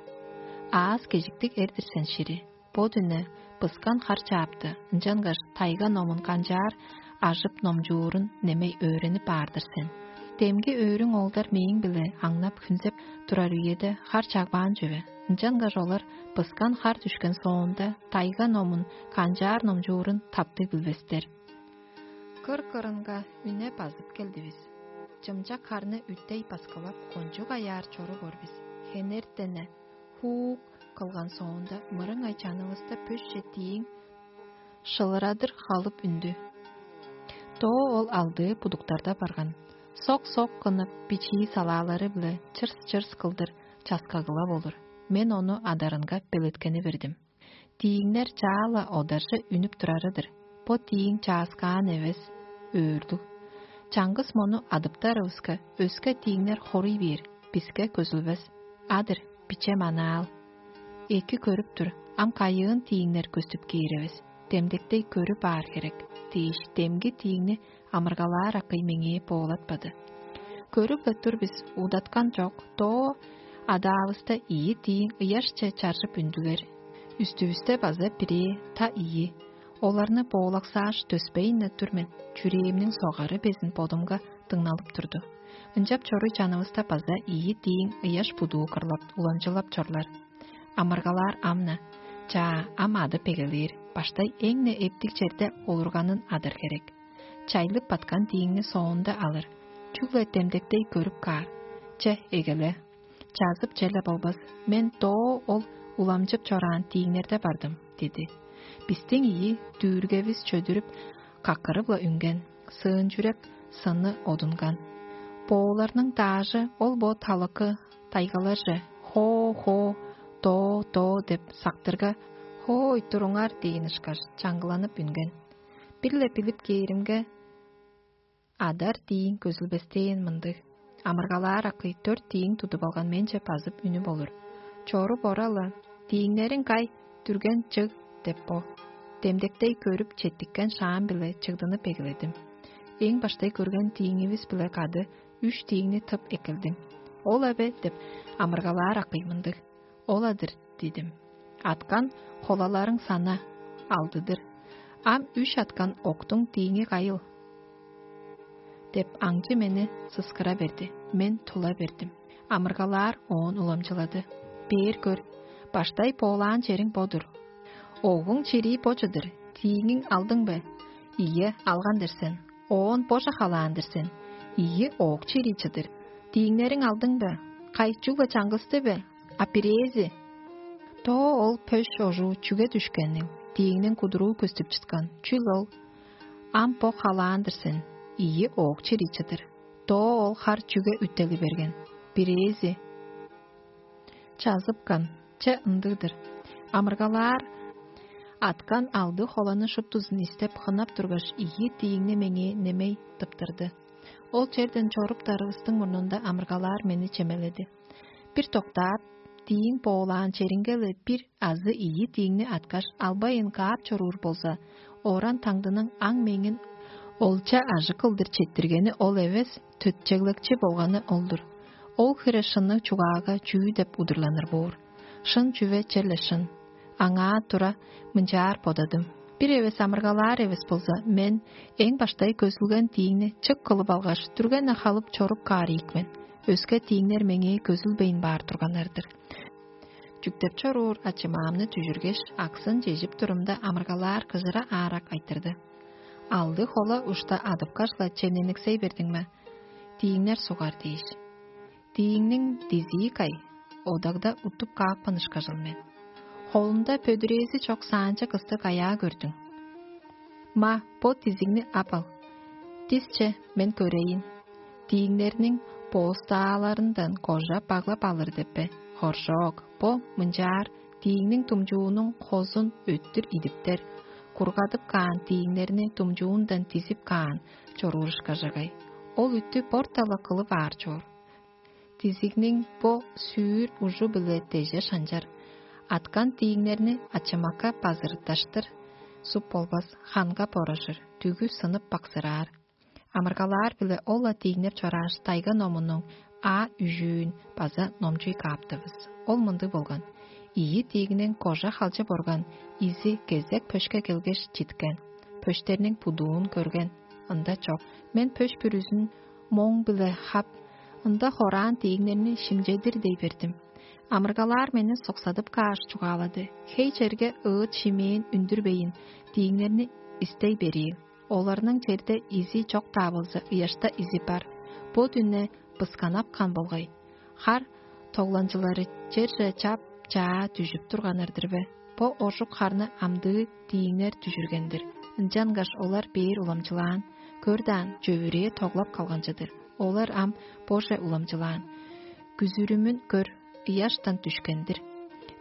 «Аас кежиктиг эр-дир сен, шири. Бо дүне быскан хар чаапты, ынчангаш тайга номун канчаар ажып номчуурун немей өөренип аар-дыр сен. Демги өөрүң оолдар мээң-биле аңнап хүнзеп турар үеде хар чагбаан чүве, ынчангаш олар быскан хар дүшкен соонда тайга номун канчаар номчуурун таптыг билбестер». Кыр-кырынга үне базып келдивис. Чымчак харны үттей баскылап, кончуг аяар чоруп ор бис. Хенертене хуук кылган соонда, мырыңай чанывыста пөсче тииң шылырадыр халып үндү. Доо ол алдыы будуктарда барган. Сок-сок кынып, бичии салаалары-биле чырс-чырс кылдыр часкагылап олур. Мен ону адарынга белеткени бердим. Тииңнер чаа-ла одаржы үнүп турары-дыр. Бо тииң чааскаан эвес, өөрлүг. Чаңгыс мону адыптарывыска, өске тииңнер хоруй бээр, биске көзүлбес. А-дыр, биче манаал. Эки көрүп тур, ам кайыын тииңнер көстүп кээр эвес, демдектей көрүп аар херек дээш, демги тииңни амыргалаар акый меңээ боолатпады. Көрүп-ле тур бис, удаткан чок, доо адаавыста ийи тииң ыяшче чаржып үндүлер. Үстүвүсте база бирээ, та ийи. Оларны боолаксааш, төспейн-не тур мен, чүрээмниң согары безин бодумга дыңналып турду. Ынчап чоруй чанывыста база ийи дииң ыяш будуу кырлап, уламчылап чорлар. Амыргалаар ам-на. Чаа, ам адып эгелээр, баштай эң-не эптиг черде олурганын адыр херек. Чайлып баткан дииңни соонда алыр. Чүгле демдектей көрүп каар. Че, эгеле. Чазып черле болбас. Мен доо ол уламчып чораан дииңнерде бардым, диди. Бистиң ийи дүүргевис чөдүрүп, какырып-ла үнген, сыын чүрек сыны одунган. Бооларның даажы ол бо талыкы тайгаларже: «Хоо-хоо, доо-доо» деп сактырга: «Хоой, туруңар» дээн ышкаш, чаңгыланып үнген. Бир-ле билип кээримге, адар дииң көзүлбестээн мындыг: амыргалаар акый дөрт дииң тудуп алган менче базып үнүп олур. Чоруп ора-ла: «Дииңнериң кай, дүрген чыг?» — деп бо. Демдектей көрүп, четтиккен шаам-биле чыгдынып эгеледим. Эң баштай көрген дииңивис-биле кады үш дииңни тып эккелдим. «Ол-ла бе?» — деп амыргалаар акый мындыг. «Ол-ла-дыр» — дидим. «Аткан холаларың сана, алдыдыр. Ам үш аткан октуң дииңи кайыл?» — деп аңчы мени сыскыра берди. Мен тула бердим. Амыргалаар оон уламчылады: «Бээр көр, баштай боолаан чериң бо-дур. Огуң чирии бо чыдыр, дииңиң алдың бе? Ийе, алган-дыр сен. Оон боже халаан-дыр сен. Ийи, оок чирии чыдыр. Дииңнериң алдың бе? Кай, чүгле чаңгысты бе? А бирээзи?» Доо ол пөш ожуу чүге дүшкенил, дииңниң кудуруу көстүп чыткан. Чүл ол? Ам бо халаан-дыр сен, ийи, оок чирии чыдыр. Доо ол хар чүге үттели берген? Бирээзи чазыпкан, че, ындыг-дыр. Амыргалаар аткан алды холаны шуптузун истеп, хынап тургаш, ийи дииңни меңээ немей тыптырды. Ол черден чорупканывыстың мурнунда амыргалаар мени чемеледи. Бир доктаап, дииң боолаан черинге-ле бир азы ийи дииңни аткаш, албайн каап чоруур болза, ооран таңдының аң-меңин олча ажы кылдыр четтиргени ол эвес, төтчеглекчи болганы ол-дур. Ол хире шынныг чугаага чүү деп удурланыр боор? Шын чүве черле шын. Аңаа тура мынчаар бодадым: бир эвес амыргалаар эвес болза, мен эң баштай көзүлген дииңни чык кылып алгаш, дүрген-не халып чоруп каар ийик мен. Өске дииңнер меңээ көзүлбейн баар турганнар-дыр. Чүктеп чоруур ачымаамны дүжүргеш, аксын чежип турумда, амыргалаар кыжыра аарак айтырды: «Алды хола ушта адыпкаш-ла чемнениксей бердиң ме? Дииңнер сугар дээш. Дииңниң дизии кай? Одагда уттуп каапкан ышкажыл мен. Холунда пөдүрээзи чок саанча кысты каяа көрдүң? Ма, бо дизигни ап ал. Дисче, мен көрейн». Дииңнерниң боостааларындан кожа баглап алыр деп бе? Хоржок, бо мынчаар: дииңниң думчуунуң хозун өттүр идиптер, кургадып каан дииңнерни думчуундан дизип каан чоруур ышкажагай. Ол үттү борта-ла кылып аар чоор. Дизигниң бо сүүр ужу-биле деже шанчар. Аткан дииңнерни ачымакка базырытташтыр, суп болбас, ханга борожур, дүгү сынып баксыраар. Амыргалаар-биле ол-ла дииңнеп чорааш, тайга номунуң а үжүүн база номчуй кааптывыс. Ол мындыг болган: ийи диигниң кожа халчып орган изи кезек пөшке келгеш читкен. Пөштерниң будуун көрген, ында чок. Мен пөш бүрүзүн моң-биле хап, ында хораан диигнерни шимчедир дей бердим. Амыргалаар мени соксадып кааш чугаалады: «Хей черге ыыт шимээн үндүрбейн, дииңнерни истей бериил. Оларның черде изи чок-даа болза, ыяшта изи бар. Бо дүне бысканапкан болгай. Хар тогланчылары черже чап-чаа дүжүп турганнар-дыр бе? Бо ожук харны амдыы дииңнер дүжүрген-дир. Ынчангаш олар бээр уламчылаан. Көр даан, чөвүрээ тоглап калган чыдыр. Олар ам боже уламчылаан. Күзүрүмүн көр, ыяштан дүшкен-дир».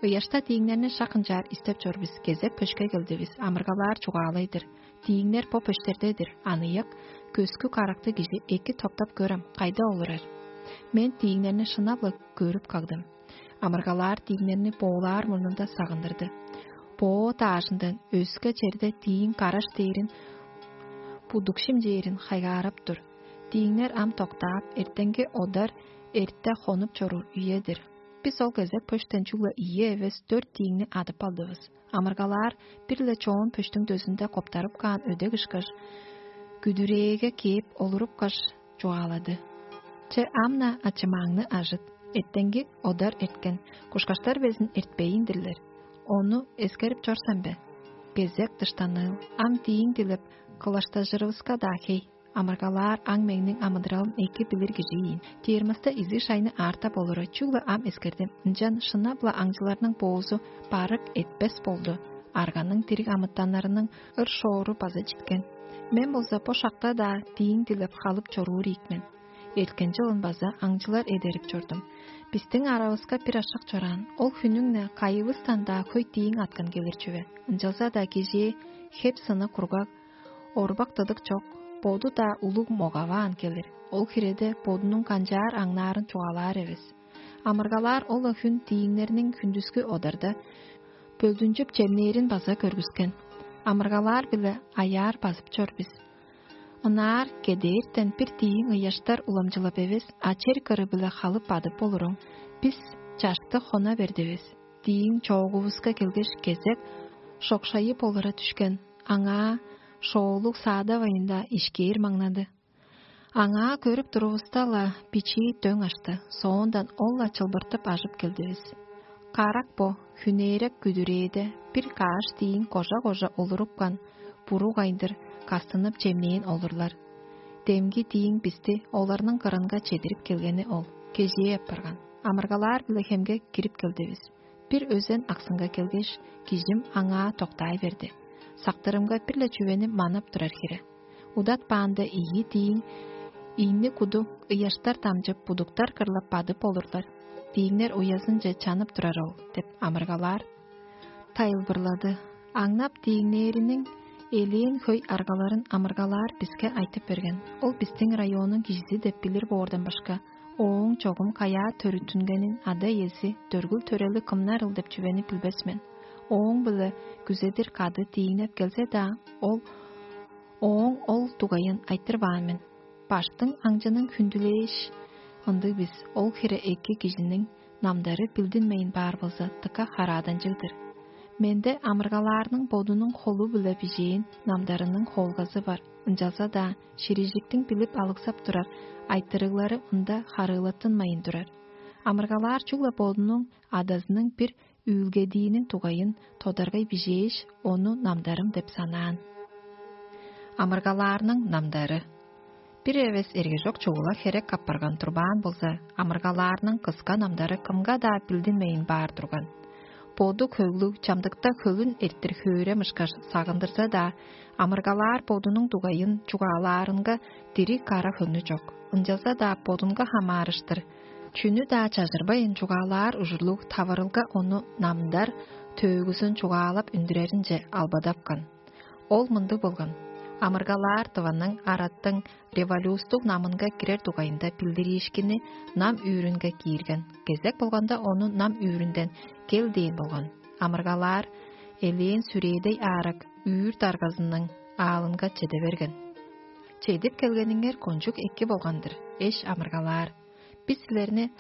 Ыяшта дииңнерни шак ынчаар истеп чор бис, кезек пөшке келдивис, амыргалаар чугаалай-дыр: «Дииңнер бо пөштерде-дир, аныяк, көскү каракты кижи эки топтап көрем, кайда олурар?» Мен дииңнерни шынап-ла көрүп кагдым. Амыргалаар дииңнерни боолаар мурнунда сагындырды. Боо даажындан өске черде дииң караш дээрин, будук шимчээрин хайгаарап тур. Дииңнер ам доктаап, эртенги одар эрте хонуп чоруур үе-дир. Бис ол кезек пөштен чүгле ийи эвес дөрт дииңни адып алдывыс. Амыргалаар бир-ле чоон пөштүң дөзүнде коптарып каан өдек ышкаш, күдүрээге кээп олурупкаш, чугаалады: «Че, ам-на ачымааңны ажыт. Эртенги одар эрткен, кушкаштар безин эртпейн-дирлер. Ону эскерип чор сен бе? Кезек дыштаныыл, ам дииң дилеп, кылаштажырывыска-даа хей». Амыргалаар аң меңниң амыдыралын эки билир кижи ийин. Термоста изиг шайны аартап олура, чүгле ам эскердим. Ынчан шынап-ла аңчыларның боозу барык этпес болду. Арганың дириг амытаннарының ыр-шоору база читкен. Мен болза бо шакта-даа дииң дилеп халып чоруур ийик мен. Эрткен чылын база аңчылар эдерип чордум. Бистиң аравыска бир ашак чораан, ол хүннүң-не кайывыстан-даа хөй дииң аткан келир чүве. Ынчалза-даа кежээ хеп сыны кургаг, орбак-дыдык чок, боду-даа улуг могаваан келир. Ол хиреде бодунуң канчаар аңнаарын чугаалаар эвес. Амыргалаар ол-ла хүн дииңнерниң хүндүскү одарда бөлдүнчүп чемнээрин база көргүскен. Амыргалаар-биле аяар базып чор бис. Ынаар кедээртен бир дииң ыяштар уламчылап эвес, а чер кыры-биле халып бадып болуруң, бис чашты хона бердивис. Дииң чоогувуска келгеш, кезек шокшайып олура дүшкен, аңаа шоолуг саадавайында ишкээр маңнады. Аңаа көрүп турувуста-ла, бичии дөң ашты, соондан ол-ла чылбыртып ажып келдивис. Карак бо, хүнээрек күдүрээде бир кааш дииң кожа-кожа олурупкан, буруг айындыр кастынып чемнээн олурлар. Демги дииң бисти оларның кырынга чедирип келгени ол, кежээ апарган. Амыргалаар-биле хемге кирип келдивис. Бир өзен аксынга келгеш, кижим аңаа доктаай берди. Сактырымга бир-ле чүвени манап турар хире. Удатпаанда ийи дииң ийни куду ыяштар дамчып, будуктар кырлап бадып олурлар. Дииңнер уязынче чанып турар ол деп амыргалаар тайылбырлады. Аңнап дииңнээриниң элээн хөй аргаларын амыргалаар биске айтып берген. Ол бистиң районнуң кижизи деп билир боордан башка, ооң чогум каяа төрүттүнгенин, ада-иези, төргүл-төрели кымнарыл деп чүвени билбес мен. Ооң-биле күзедир кады дииңнеп келзе-даа, ол ооң ол дугайын айтырбаан мен. Баштың аңчының хүндүлээш, ындыг бис, ол хире эки кижиниң намдары билдинмейн баар болза, дыка харааданчыг-дыр. Менде амыргалаарның бодунуң холу-биле бижээн намдарының холгазы бар, ынчалза-даа ширижиктиң билип алыксап турар айтырыглары ында харыылаттынмайн турар. Амыргалаар чүгле бодунуң адазының бир үүлгедииниң дугайын тодаргай бижээш, ону намдарым деп санаан. Амыргалаарның намдары. Бир эвес эргежок чугула херек апарган турбаан болза, амыргалаарның кыска намдары кымга-даа билдинмейн баар турган. Боду хөглүг, чамдыкта хөлүн эрттир хөөрем ышкаш сагындырза-даа, амыргалаар бодунуң дугайын чугаалаарынга дириг кара хөңнү чок. Ынчалза-даа бодунга хамаарыштыр чүнү-даа чажырбайн чугаалаар ужурлуг таварылга ону намдар төөгүзүн чугаалап үндүреринче албадапкан. Ол мындыг болган: амыргалаар дыванның араттың революстуг намынга кирер дугайында билдириишкинни нам үүрүнге киирген. Кезек болганда ону нам үүрүнден кел дээн болган. Амыргалаар элээн сүрээдей аарак үүр даргазының аалынга чеде берген. Чедип келгениңер кончуг эки болган-дыр, эш амыргалаар. Бис силерни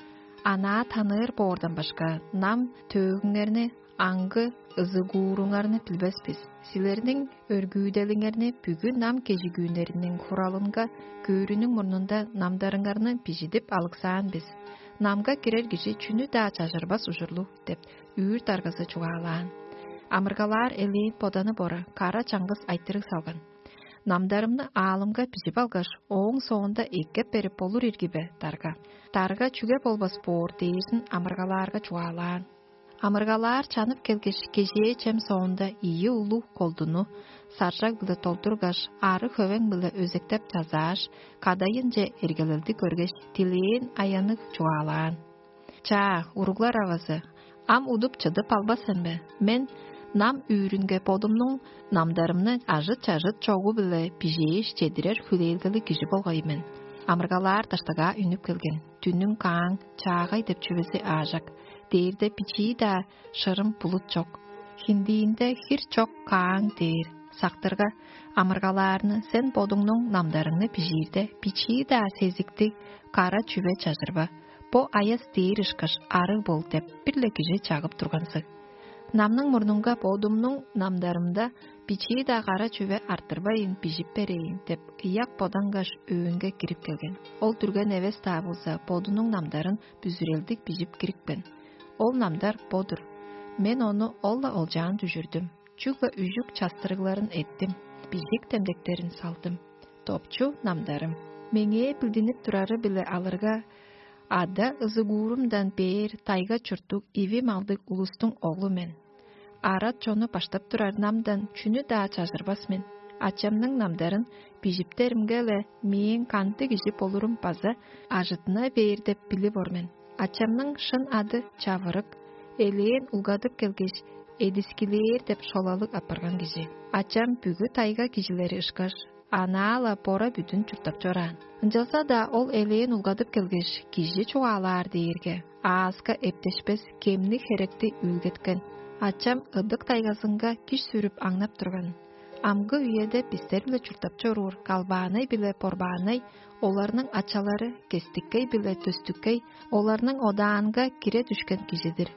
анаа таныыр боордан башка, нам төөгүңерни, аңгы ызыгууруңарны билбес бис. Силерниң өргүүделиңерни бүгү нам кежигүүннериниң хуралынга көөрүнүң мурнунда намдарыңарны бижидип алыксаан бис. Намга кирер кижи чүнү-даа чажырбас ужурлуг деп үүр даргазы чугаалаан. Амыргалаар элээн боданы бора кара чаңгыс айтырыг салган. Намдарымны аалымга бижип алгаш, ооң соонда эккеп берип болур ирги бе, дарга? Дарга чүге болбас боор дээрзин амыргалаарга чугаалаан. Амыргалаар чанып келгеш, кежээ чем соонда ийи улуг колдуну саржаг-биле толдургаш, ары хөвең-биле өзектеп чазааш, кадайынче эргелелди көргеш, дилээн аянныг чугаалаан: «Чаа, уруглар авазы, ам удуп чыдып албас сен бе? Мен нам үүрүнге бодумнуң намдарымны ажыт-чажыт чогу-биле бижээш чедирер хүлээлгелиг кижи болгай мен». Амыргалаар даштыгаа үнүп келген. Дүнүң кааң, чаагай деп чүвези аажак. Дээрде бичии-даа шырым булут чок. Хиндиинде хир чок кааң дээр. Сактырга, амыргалаарны, сен бодуңнуң намдарыңны бижиирде, бичии-даа сезиктиг кара чүве чажырба. Бо аяс дээр ышкаш арыг бол деп бир-ле кижи чагып турганзыг. Намның мурнунга бодумнуң намдарымда бичии-даа кара чүве арттырбайн бижип берейн деп ыяк бодангаш, өөнге кирип келген. Ол дүрген эвес-даа болза, бодунуң намдарын бүзүрелдиг бижип кирипкен. Ол намдар бо-дур. Мен ону ол-ла олчаан дүжүрдүм. Чүгле үжүк частырыгларын эттим, бижик демдектерин салдым. Допчу намдарым. Меңээ билдинип турары-биле алырга, ада ызыгуурумдан бээр тайга чурттуг иви малдыг улустуң оглу мен. Арат чонну баштап турар намдан чүнү-даа чажырбас мен. Ачамның намдарын бижиптеримге-ле, мээң кандыг кижи болурум база ажыттына бээр деп билип ор мен. Ачамның шын ады Чавырык, элээн улгадып келгеш, Эдискилээр деп шолалыг апарган кижи. Ачам бүгү тайга кижилери ышкаш, анаа-ла бора-бүдүн чурттап чораан. Ынчалза-даа ол элээн улгадып келгеш, кижи чугаалаар дээрге, ааска эптешпес кемниг херекти үүлгеткен. Ачам ыдык тайгазынга киш сүрүп аңнап турган. Амгы үеде бистер-биле чурттап чоруур Калбаанай биле Борбаанай, оларның ачалары Кестиккей-биле Төстүккей, оларның одаанга кире дүшкен кижи-дир.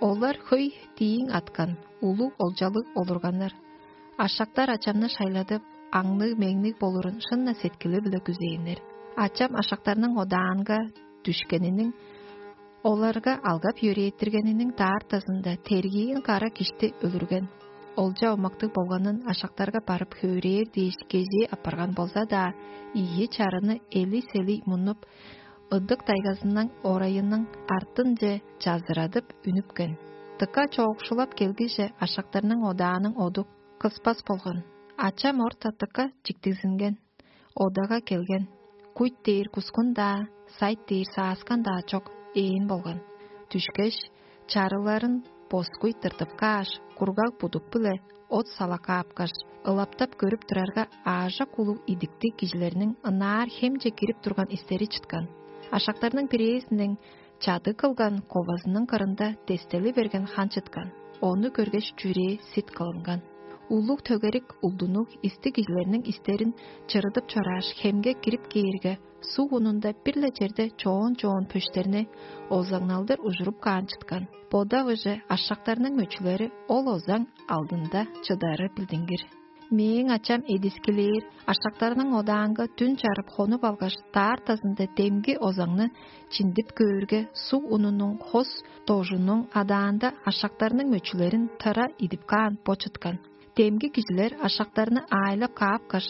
Олар хөй дииң аткан, улуг олчалыг олурганнар. Ашактар ачамны шайладып, аңныг-меңниг болурун шын-на сеткили-биле күзээннер. Ачам ашактарның одаанга дүшкениниң, оларга алгап йөрээттиргениниң даартазында тергиин кара кишти өлүрген. Олча омактыг болганын ашактарга барып хөөрээр дээш кежээ апарган болза-даа, ийи чарыны эли-сели муннуп, ыдык тайгазының орайының артынче чазырадып үнүпкен. Дыка чоокшулап келгиже, ашактарның одааның оду кыспас болган. Ачам орта дыка чиктигзинген. Одага келген. Куйт дээр кускун-даа, сайт дээр сааскан-даа чок, ээн болган. Дүшкеш, чарыларын боскуй тыртып кааш, кургаг будук-биле от сала каапкаш, ылаптап көрүп турарга, аажок улуг идиктиг кижилерниң ынаар хемче кирип турган истери чыткан. Ашактарның бирээзиниң чадыг кылган ковазының кырында дестели берген хан чыткан. Ону көргеш, чүрээ сит кылынган. Улуг төгерик улдунуг истиг кижилерниң истерин чырыдып чорааш, хемге кирип кээрге, суг унунда бир-ле черде чоон-чоон пөштерни озаңналдыр ужуруп каан чыткан. Бодавыже ашактарның мөчүлери ол озаң алдында чыдары билдингир. Мээң ачам эдискилээр, ашактарның одаанга дүн чарып хонуп алгаш, даартазында демги озаңны чиндип көөрге, суг унунуң хос дожунуң адаанда ашактарның мөчүлерин тыра идип каан бо чыткан. Демги кижилер ашактарны аайлап каапкаш,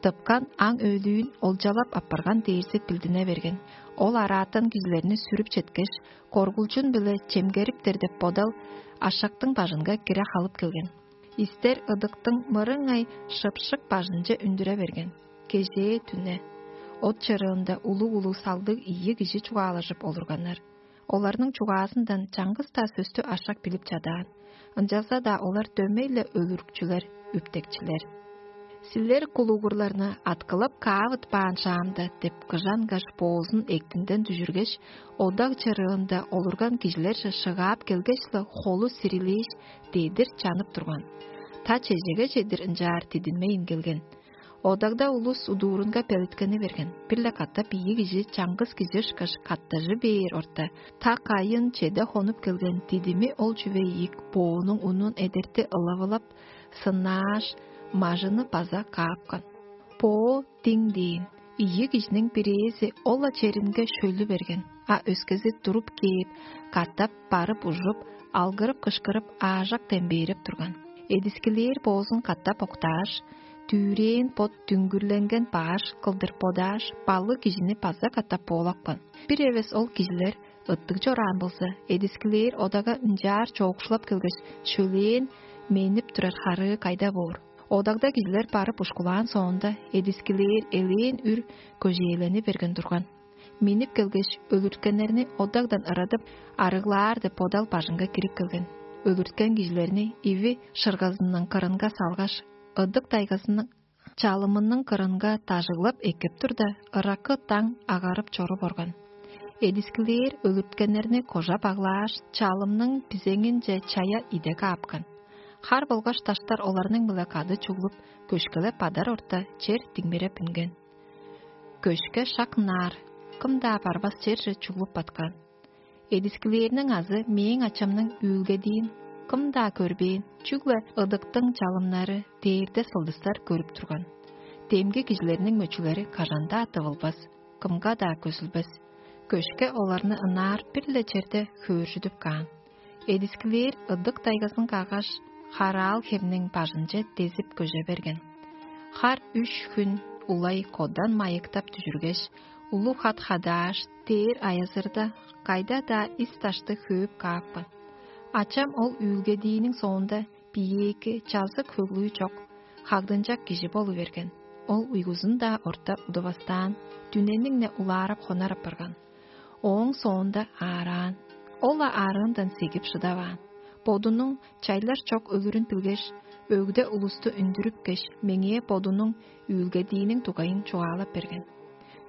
тыпкан аң өлүүн олчалап апарган дээрзи билдине берген. Ол араатан кижилерни сүрүп четкеш, коргулчун-биле чемгериптер деп бодал ашактың бажынга кире халып келген. Истер ыдыктың мырыңай шыпшык бажынче үндүре берген. Кежээ дүне. От чырыында улуг-улуг салдыг ийи кижи чугаалажып олурганнар. Оларның чугаазындан чаңгыс-даа сөстү ашак билип чадаан. Ынчалза-даа олар дөмей-ле өлүрүкчүлер, үптекчилер. Силер кулугурларны аткылап каавытпаан шаамда деп кыжангаш, боозун эктинден дүжүргеш, одаг чырыында олурган кижилерже шыгаап келгеш-ле, холу сирилээш, дедир чанып турган. Та чежеге чедир ынчаар дидинмейн келген. Одагда улус удуурунга белеткени берген. Бир-ле катап ийи кижи чаңгыс кижи ышкаш каттажы бээр орта, та кайын чеде хонуп келген дидими ол чүве ийик боонуң унун эдерти ылавылап, сынааш, мажыны база каапкан. Боо диң дээн, ийи кижиниң бирээзи ол-ла черинге шөлү берген, а өскези туруп кээп, катап барып ужуп, алгырып-кышкырып, аажак дембээрип турган. Эдискилээр боозун катап октааш, дүврээн бот дүңгүрленген баш кылдыр бодааш, баллыг кижини база катап боолапкан. Бир эвес ол кижилер ыттыг чораан болза, эдискилээр одага ынчаар чоокшулап келгеш, шөлээн менип турар харыы кайда боор? Одагда кижилер барып ушкулаан соонда, эдискилээр элээн үр көжээлени берген турган. Миннип келгеш, өлүрткеннерни одагдан ырадып, арыглаар деп бодал бажынга кирип келген. Өлүрткен кижилерни иви шыргазының кырынга салгаш, ыдык тайгазының чалымының кырынга дажыглап эккеп турда, ыраккы даң агарып чоруп орган. Эдискилээр өлүрткеннерни кожа баглааш, чалымның бизеңинче чая иде каапкан. Хар болгаш даштар оларның-биле кады чуглуп, көшкелеп бадар орта чер диңмиреп үнген. Көшке шак ынаар, кым-даа барбас черже чуглуп баткан. Эдискилээрниң азы мээң ачамның үүлгедиин кым-даа көрбээн, чүгле ыдыктың чалымнары дээрде сылдыстар көрүп турган. Демги кижилерниң мөчүлери кажан-даа тывылбас, кымга-даа көзүлбес. Көшке оларны ынаар бир-ле черде хөөржүдүп каан. Эдискилээр ыдык тайгазын каггаш, хараал хемниң бажынче дезип көже берген. Хар үш хүн улай кодан майыктап дүжүргеш, улуг хат хадааш, дээр аязырда кайда-даа ис дашты хөөп каапкан. Ачам ол үүлгедииниң соонда биеэки, чазык хөглүү чок, хагдынчак кижи болу берген. Ол уйгузун-даа орта удувастаан, дүнениң-не улаарап хонар апарган. Ооң соонда аараан. Ол-ла аарыындан сегип шыдаваан. Бодунуң чайлар чок өлүрүн билгеш, өгде улусту үндүрүпкеш, меңээ бодунуң үүлгедииниң дугайын чугаалап берген.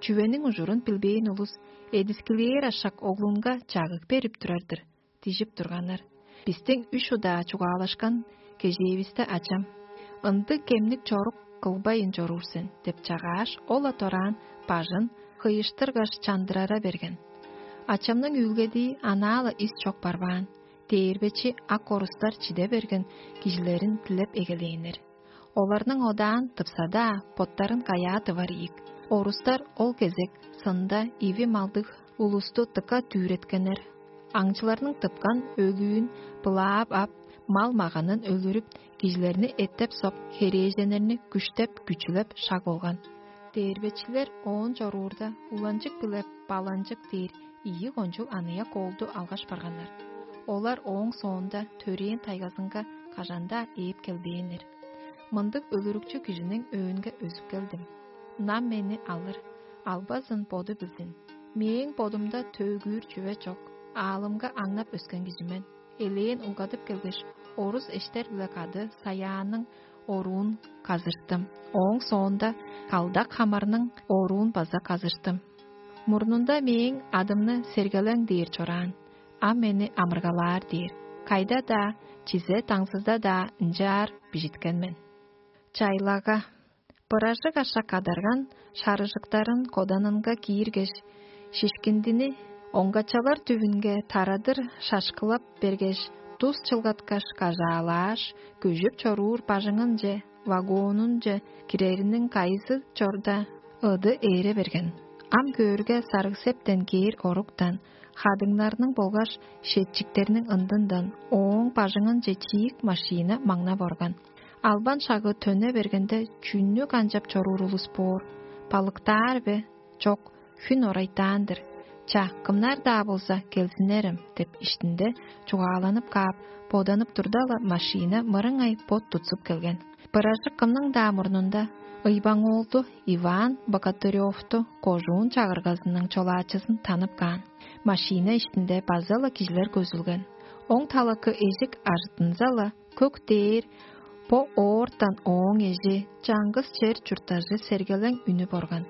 Чүвениң ужурун билбээн улус эдискилээр ашак оглунга чагыг берип турар-дыр, дижип турганнар. Бистиң үш удаа чугаалашкан кежээвисте ачам: «Ындыг кемниг чорук кылбайн чоруур сен» — деп чагааш, ол-ла дораан бажын кыйыштыргаш чандырара берген. Ачамның үүлгедии анаа-ла ис чок барбаан. Дээрбечи ак орустар чиде берген кижилерин дилеп эгелээннер. Оларның одаан тыпса-даа, боттарын каяа тывар ийик. Орустар ол кезек сында иви малдыг улусту дыка дүвүреткеннер. Аңчыларның тыпкан өлүүн былаап ап, мал-маганын өлүрүп, кижилерни эттеп-соп, херээженнерни күштеп-күчүлеп шаг болган. Дээрбечилер оон чоруурда, уланчык биле баланчык дээр ийи кончуг аныяк оолду алгаш барганнар. Олар ооң соонда төрээн тайгазынга кажан-даа ээп келбээннер. Мындыг өлүрүкчү кижиниң өөнге өзүп келдим. Нам мени алыр, албазын боду билзин. Мээң бодумда төөгүүр чүве чок, аалымга аңнап өскен кижи мен. Элээн угадып келгеш, орус эштер-биле кады саяанның оруун казыштым. Ооң соонда калдак хамарның оруун база казыштым. Мурнунда мээң адымны Сергелең дээр чораан, ам мени Амыргалаар дээр. Кайда-даа, чизе-даңзыда-даа ынчаар бижиткен мен. Чайлага. Быражык ашак адарган шарыжыктарын коданынга кииргеш, шишкиндини оңгачалар дүвүнге тарадыр шашкылап бергеш, дус чылгаткаш, кажаалааш, күжүп чоруур бажыңынче, вагонунче кирериниң кайызы чорда ыды ээре берген. Ам көөрге, сарыг-септен кээр оруктан, хадыңнарның болгаш шетчиктерниң ындындан ооң бажыңынче чиик машина маңнап орган. Албан шагы төне бергенде, чүннү канчап чоруур улус боор? Балыктаар бе? Чок, хүн орайтаан-дыр. Ча, кымнар-даа болза, келзиннерем деп иштинде чугааланып каап, боданып турда-ла, машина мырыңай бот тутсуп келген. Быражык кымның-даа мурнунда Ыйбаң-оолду Иван Богатыревту кожуун чагыргазының чолаачызын танып каан. Машина иштинде база-ла кижилер көзүлген. Оң талакы эжик ажыттынза-ла, көк дээр Бо оортан ооң эжи чаңгыс чер чурттажы сергелең үнүп орган.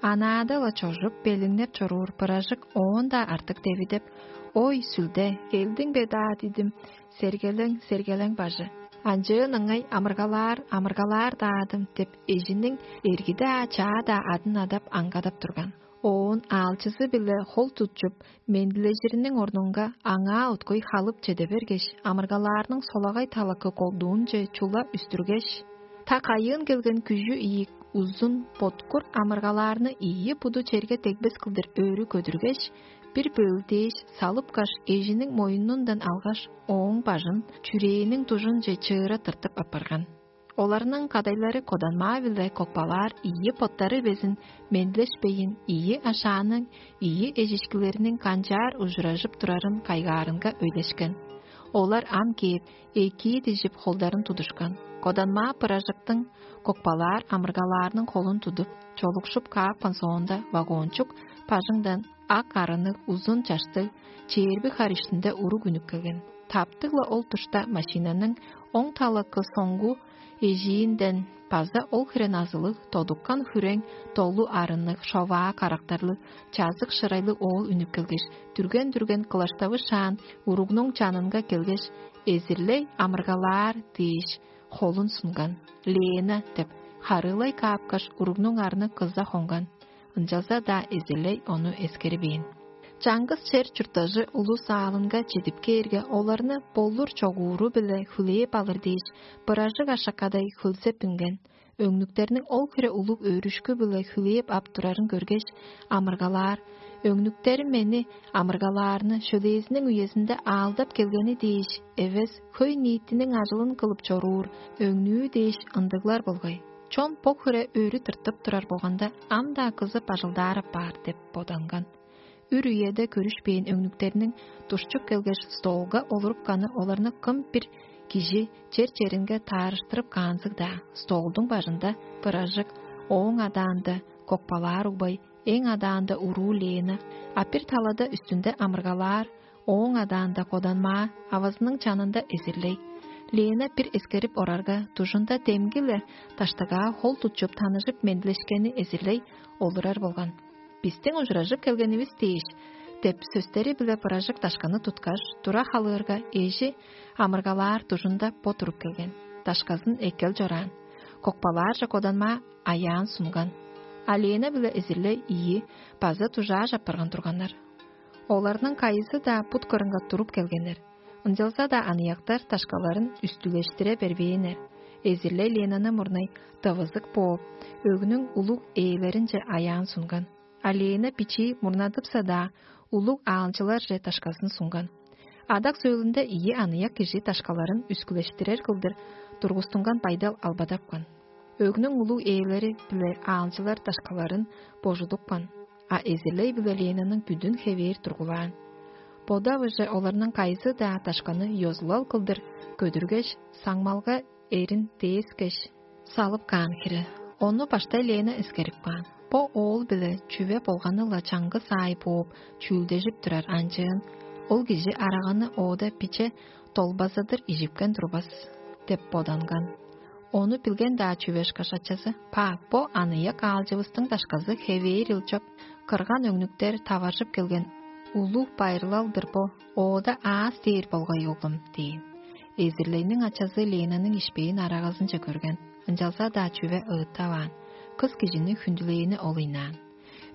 Анаада-ла чожуп, белиңнеп чоруур быражык оон-даа артык девидеп: «Ой, сүлде, келдиң бе даа дидим, сергелең, сергелең бажы? Анчыын ыңай амыргалаар, амыргалаар-даадым» — деп, эжиниң эрги-даа, чаа-даа адын адап, аңгадап турган. Оон аалчызы-биле хол тутчуп, мендилежириниң орнунга аңаа уткуй халып чеде бергеш, амыргалаарның солагай талакы колдуунче чула үстүргеш, та кайыын келген күжү ийик, узун, боткур амыргалаарны ийи буду черге дегбес кылдыр өрү көдүргеш, бир бөөлдээш, салыпкаш, эжиниң моюнундан алгаш, ооң бажын чүрээниң дужунче чыыра тыртып апарган. Оларның кадайлары Коданмаа-биле Кокпалаар ийи боттары безин мендилешпейн, ийи ашааның, ийи эжишкилериниң канчаар ужуражып турарын кайгаарынга өйлешкен. Олар ам кээп, экии дижип, холдарын тудушкан. Коданмаа быражыктың Кокпалаар амыргалаарның холун тудуп, чолукшуп каапкан соонда, вагончук бажыңдан ак арынныг, узун чаштыг, чээрби хар иштинде уруг үнүп келген. Таптыг-ла ол душта машинаның оң талакы соңгу эжиинден база ол хире назылыг, тодуккан хүрең, долу арынныг, шоваа карактарлыг, чазык шырайлыг оол үнүп келгеш, дүрген-дүрген кылаштавышаан, уругнуң чанынга келгеш, эзирлей амыргалаар дээш, холун сунган. «Лена» — деп, харыылай каапкаш, уругнуң арны кыза хонган. Ынчалза-даа эзирлей ону эскербээн. Чаңгыс чер чурттажы улус аалынга чедип кээрге, оларны болур чогууру-биле хүлээп алыр дээш, быражык ашакадай хөлзеп үнген. Өңнүктерниң ол хире улуг өөрүшкү-биле хүлээп ап турарын көргеш, амыргалаар: «Өңнүктерим мени амыргалаарны, шөлээзиниң үезинде аалдап келгени дээш эвес, хөй-ниитиниң ажылын кылып чоруур өңнүү дээш ындыглар болгай. Чон бо хире өрү тыртып турар болганда, ам-даа кызып ажылдаар апаар» — деп боданган. Үр үеде көрүшпээн өңнүктерниң душчуп келгеш, столга олурупканы оларны кым бир кижи чер-черинге таарыштырып каанзыг-даа. Столдуң бажында быражык, ооң адаанда Кокпалаар угбай, эң адаанда уруу Лена, а бир талада үстүнде амыргалаар, ооң адаанда Коданмаа, авазының чанында эзирлей. Лена бир эскерип орарга, дужунда демги-ле даштыгаа хол тутчуп, таныжып, мендилешкени эзирлей олурар болган. «Бистиң ужуражып келгенивис дээш» — деп сөстери-биле быражык дашканы туткаш, тура халыырга, эжи амыргалаар дужунда бо туруп келген. Дашказын эккел чораан. Кокпалаарже Коданмаа аяан сунган. А Лена-биле эзирлей ийи база дужааш апарган турганнар. Оларның кайызы-даа бут кырынга туруп келгеннер. Ынчалза-даа аныяктар дашкаларын үстүлештире бербээннер. Эзирлей Ленаны мурнай дывызык бооп, өгнүң улуг ээлеринче аяан сунган. А Лена бичии мурнадыпса-даа, улуг аалчыларже дашказын сунган. Адак сөөлүнде ийи аныяк кижи дашкаларын үскүлештирер кылдыр тургустунган байдал албадапкан. Өгнүң улуг ээлери-биле аалчылар дашкаларын божудупкан, а эзирлей-биле Ленаның бүдүн хевээр тургулаан. Бодавыже оларның кайызы-даа дашканы ёзулал кылдыр көдүргеш, саңмалга эрин дээскеш, салып каан хире. Ону баштай Лена эскерип каан. Бо оол-биле чүве болганы-ла чаңгыс аай бооп, чүүлдежип турар, анчыын ол кижи араганы оода биче долбазыдыр ижипкен турбас деп боданган. Ону билген-даа чүве ышкаш, ачазы: «Па, бо аныяк аалчывыстың дашказы хевээр ылчап, кырган өңнүктер таваржып келген улуг байырлал-дыр бо, оода аас дээр болгай, оглум» — дээн. Эзирлейниң ачазы Ленаның ишпээн арагазынче көрген, ынчалза-даа чүве ыыттаваан. Кыс кижини хүндүлээни ол ыйнаан.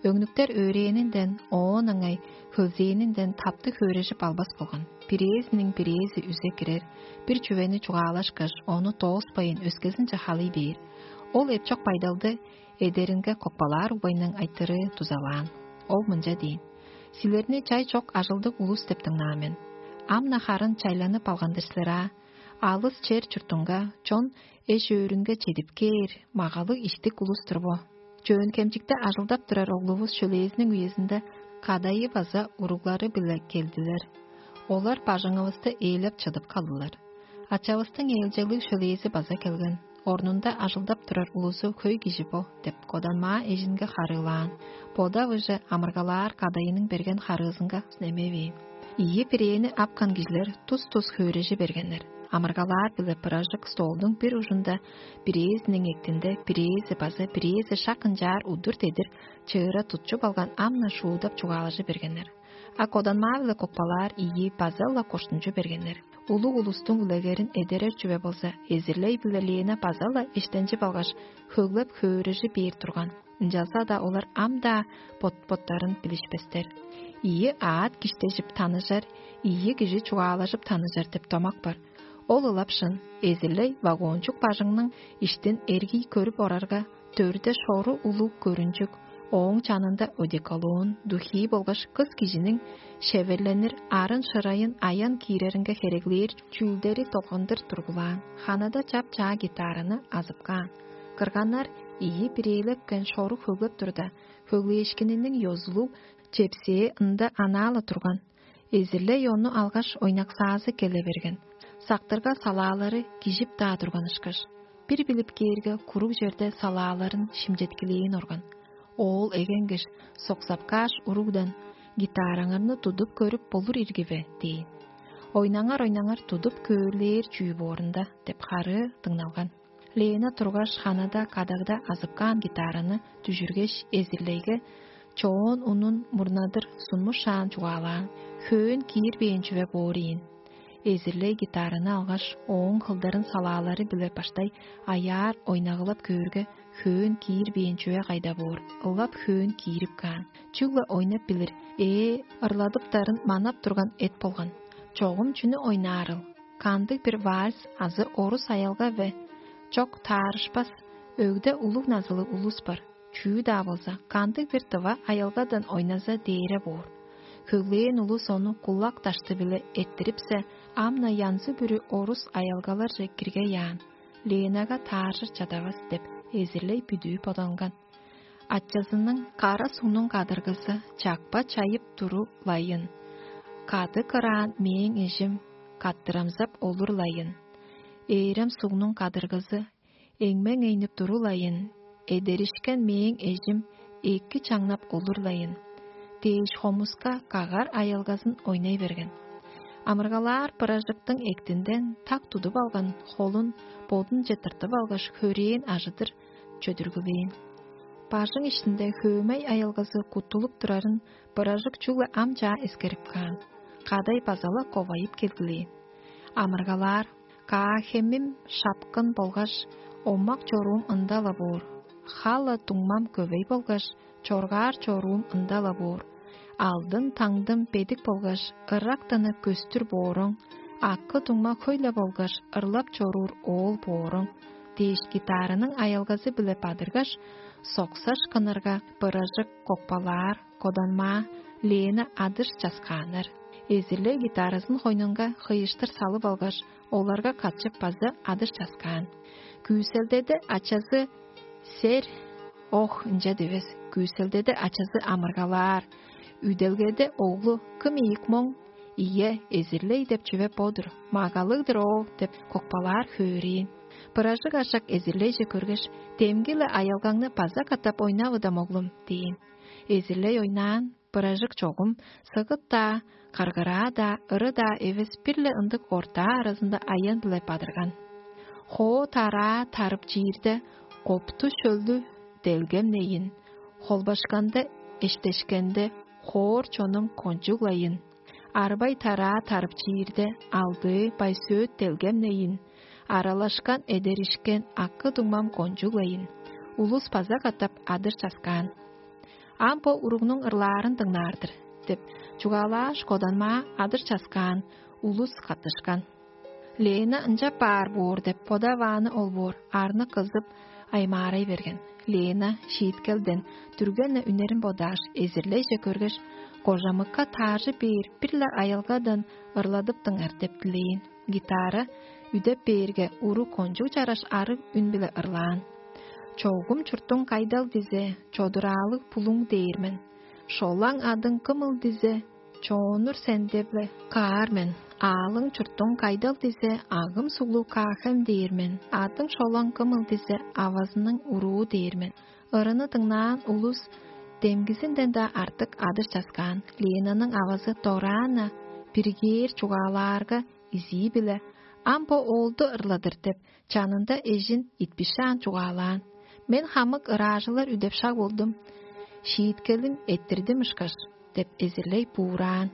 Өңнүктер өөрээнинден, оон ыңай хөлзээнинден таптыг хөөрежип албас болган. Бирээзиниң бирээзи үзе кирер, бир чүвени чугаалашкаш, ону дооспайн, өскезинче халый бээр. Ол эпчок байдалды эдеринге Кокпалаар угбайның айтырыы дузалаан. Ол мынча дээн: «Силерни чай чок ажылдыг улус деп дыңнаан мен. Ам-на харын чайланып алган-дыр силер аа. Алыс чер чуртунга чон эш-өөрүнге чедип кээр, магалыг иштик улус-тур бо. Чөөн-Хемчикте ажылдап турар оглувус шөлээзиниң үезинде кадайы база уруглары-биле келдилер. Олар бажыңывысты ээлеп чыдып калдылар. Ачавыстың ээлчеглиг шөлээзи база келген. Орнунда ажылдап турар улузу хөй кижи бо» — деп, Коданмаа эжинге харыылаан. Бодавыже амыргалаар кадайының берген харыызынга немевээн. Ийи бирээни апкан кижилер тус-тус хөөрежи бергеннер. Амыргалаар биле быражык столдуң бир ужунда, бирээзиниң эктинде, бирээзи база бирээзи шак ынчаар удур дедир чыыра тутчуп алган амна шуудап чугаалажы бергеннер. А коданмаа-биле кокпалаар ийи база-ла коштунчу бергеннер. Улуг улустуң үлегерин эдерер чүве болза, эзирлей-биле Лена база-ла эштенчип алгаш, хөглеп хөөрежи бээр турган. Ынчалза-даа олар ам-даа бот-боттарын билишпестер. Ийи аът киштежип таныжар, ийи кижи чугаалажып таныжар деп домак бар. Ол ылап шын, эзирлей вагончук бажыңның иштин эргий көрүп орарга, дөрде шору улуг көрүнчүк, ооң чанында одеколон, духии болгаш кыс кижиниң шеверленир арын шырайын аян кииреринге хереглээр чүүлдери долгандыр тургулаан. Ханада чап-чаа гитараны азып каан. Кырганнар ийи бирээлепкен шорук хөглеп турда, хөглээшкининиң ёзулуг чепсээ ында анаа-ла турган. Эзирлей ону алгаш ойнаксаазы келе берген. Сактырга салаалары кижип-даа турган ышкаш. Бир билип кээрге, куруг черде салааларын шимчеткилээн орган. Оол эгенгеш, соксапкааш уругдан: «Гитараңарны тудуп көрүп болур ирги бе?» – дээн. «Ойнаңар, ойнаңар, тудуп көөлээр чүү боорунда» – деп харыы дыңналган. Лена тургаш, ханада кадагда азып каан гитараны дүжүргеш, эзирлейге чоон унун мурнадыр сунмушаан чугаалаан: «Хөөн киирбээн чүве боор ийин». Эзирлей гитараны алгаш, ооң кылдарын салаалары-биле баштай аяар ойнагылап көөрге, хөөн киирбээн чүве кайда боор, ылап хөөн киирип каан. Чүгле ойнап билир, ээ, ырладыптарын манап турган эт болган. Чогум чүнү ойнаарыл? Кандыг-бир вальс азы орус аялга бе? Чок, таарышпас. Өгде улуг назылыг улус бар. Чүү-даа болза, кандыг-бир дыва аялгадан ойназа дээре боор. Хөглээн улус ону кулак дашты-биле эрттирипсе, ам-на янзы-бүрү орус аялгаларже киргей аан. Ленага тааржыр чадавас деп, эзирлей бүдүү боданган. Ачазының кара сугнуң кадыргызы чакпа чайып туру-лайын. Кады кыраан мээң эжим каттырамзап олур-лайын. Ээрем сугнуң кадыргызы эңмең эйнип туру-лайын. Эдеришкен мээң эжим эки чаңнап олур-лайын. Дээш хомуска кагар аялгазын ойнай берген. Амыргалаар быражыктың эктинден так тудуп алган холун бодунче тыртып алгаш, хөрээн ажыдыр чөдүргүлээн. Бажың иштинде хөөмей аялгазы куттулуп турарын быражык чүгле ам чаа эскерип каан. Кадай база-ла ковайып келгилээн. Амыргалаар: «Каа-хемим шапкын болгаш, омак чоруум ында-ла боор. Хала дуңмам көвей болгаш, чоргаар чоруум ында-ла боор. Алдын таңдым бедик болгаш, ырактаны көстүр бооруң, акы дуңма хөй-ле болгаш, ырлап чоруур оол бооруң» – дээш, гитараның аялгазы-биле бадыргаш, соксаш кынырга, быражык кокпалаар, коданмаа, Лена адыш часкааннар. Эзирлей гитаразын хойнунга хыйыштыр салып алгаш, оларга катчып база адыш часкаан. Күүселдеде ачазы сер, ох, ынча дивес. Күүселдеде ачазы амыргалаар. Үделгеде оглу: «Кым ийик моң?» «Ийе, эзирлей деп чүве бо-дур, магалыг-дыр ол» – деп кокпалаар хөөрэээн. Быражык ашак эзирлейже көргеш: «Демги-ле аялгаңны база катап ойнавыдам, оглум» – дээн. Эзирлей ойнаан, быражык чогум сыгыт-даа, каргыраа-даа, ыры-даа эвес, бир-ле ындыг ортаа аразында аян-биле бадырган. Хоо тараа тарып чиирде, копту шөлдү делгемнейин, холбашканда, эштешкенде, хоор чонум кончуглайын. Арбай тараа тарып чиирде, алдыы байсөөт делгемнейин, аралашкан эдеришкен акы дуңмам кончуглайын. Улус база катап адыр часкаан. «Ам бо уругнуң ырлаарын дыңнаар-дыр» – деп чугаалааш, коданмаа адыр часкаан, улус каттышкан. Лена ынчап баар боор деп бодавааны ол боор, арны кызып, аймаарай берген. Лена шииткелден дүрген-не үнерин бодааш, эзирлейже көргеш, кожамыкка тааржы бээр бир-ле аялгадан ырладыптыңар деп дилээн. Гитара үдеп бээрге, уруг кончуг чараш арыг үн-биле ырлаан: «Чогум чуртуң кайдал дизе, чодураалыг булуң дээр мен. Шолаң адың кымыл дизе, чоонур сен деп-ле каар мен. Аалың чуртуң кайдал дизе, агым суглуг каахем дээр мен. Адың шолаң кымыл дизе, авазының уруу дээр мен». Ырыны дыңнаан улус демгизинден-даа артык адыр часкаан. Ленаның авазы дораан-на Биргээр чугаалаарга, изии-биле: «Ам бо оолду ырладыр» — деп, чанында эжин итпишаан чугаалаан. «Мен хамык ыраажылар үдеп шаг болдум, шииткелим эрттирдим ышкаш» — деп, эзирлей буураан.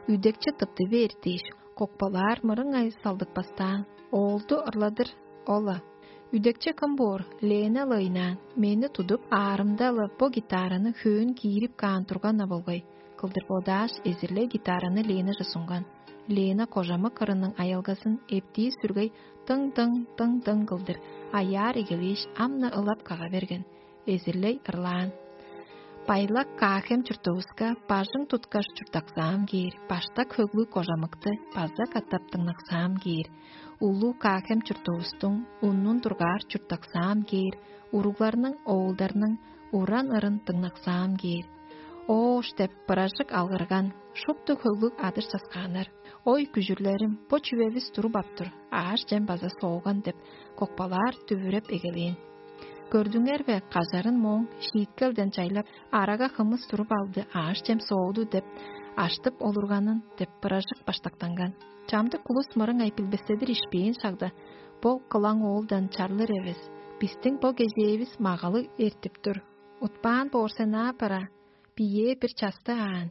Үдекчи тыпты бээр дээш, кокпалаар мырыңай салдыппастаан: «Оолду ырлап тур ол-ла». «Үдекчи кым боор? Лена-ла ыйнаан. Мени тудуп, аарымда-ла бо гитараны хөөн киирип каан турган-на болгай» — кылдыр бодааш, эзирлей гитараны Ленаже сунган. Лена кожамык кырының аялгазын эптии сүргей дың-дың, дың-дың кылдыр аяар эгелээш, ам-на ылап кага берген. Эзирлей ырлаан: «Байлак Каахем чуртувуска бажың туткаш чурттаксаам кээр, баштак хөглүг кожамыкты база катап дыңнаксаам кээр. Улуу Каахем чуртувустуң уннун дургаар чурттаксаам кээр, уругларның, оолдарның уран ырын дыңнаксаам кээр». «Оош» — деп, быражык алгырган, шупту хөглүг адыш часкааннар. «Ой, күжүрлерим, бо чүвевис туруп ап тур, аъш-чем база сооган» — деп, кокпалаар дүвүреп эгелээн. «Көрдүңер бе, кажарын мооң шииткелден чайлап, арага хымыс туруп алды, аъш-чем сооду» — деп, аштып олурганын деп, быражык баштактанган. Чамдык улус мырыңай билбестедир ишпээн шагда: «Бо кылаң оолдан чарлыр эвес, бистиң бо кезээвис магалыг эртип тур. Утпаан боор сен аа, бара, биеэ бир часты аан».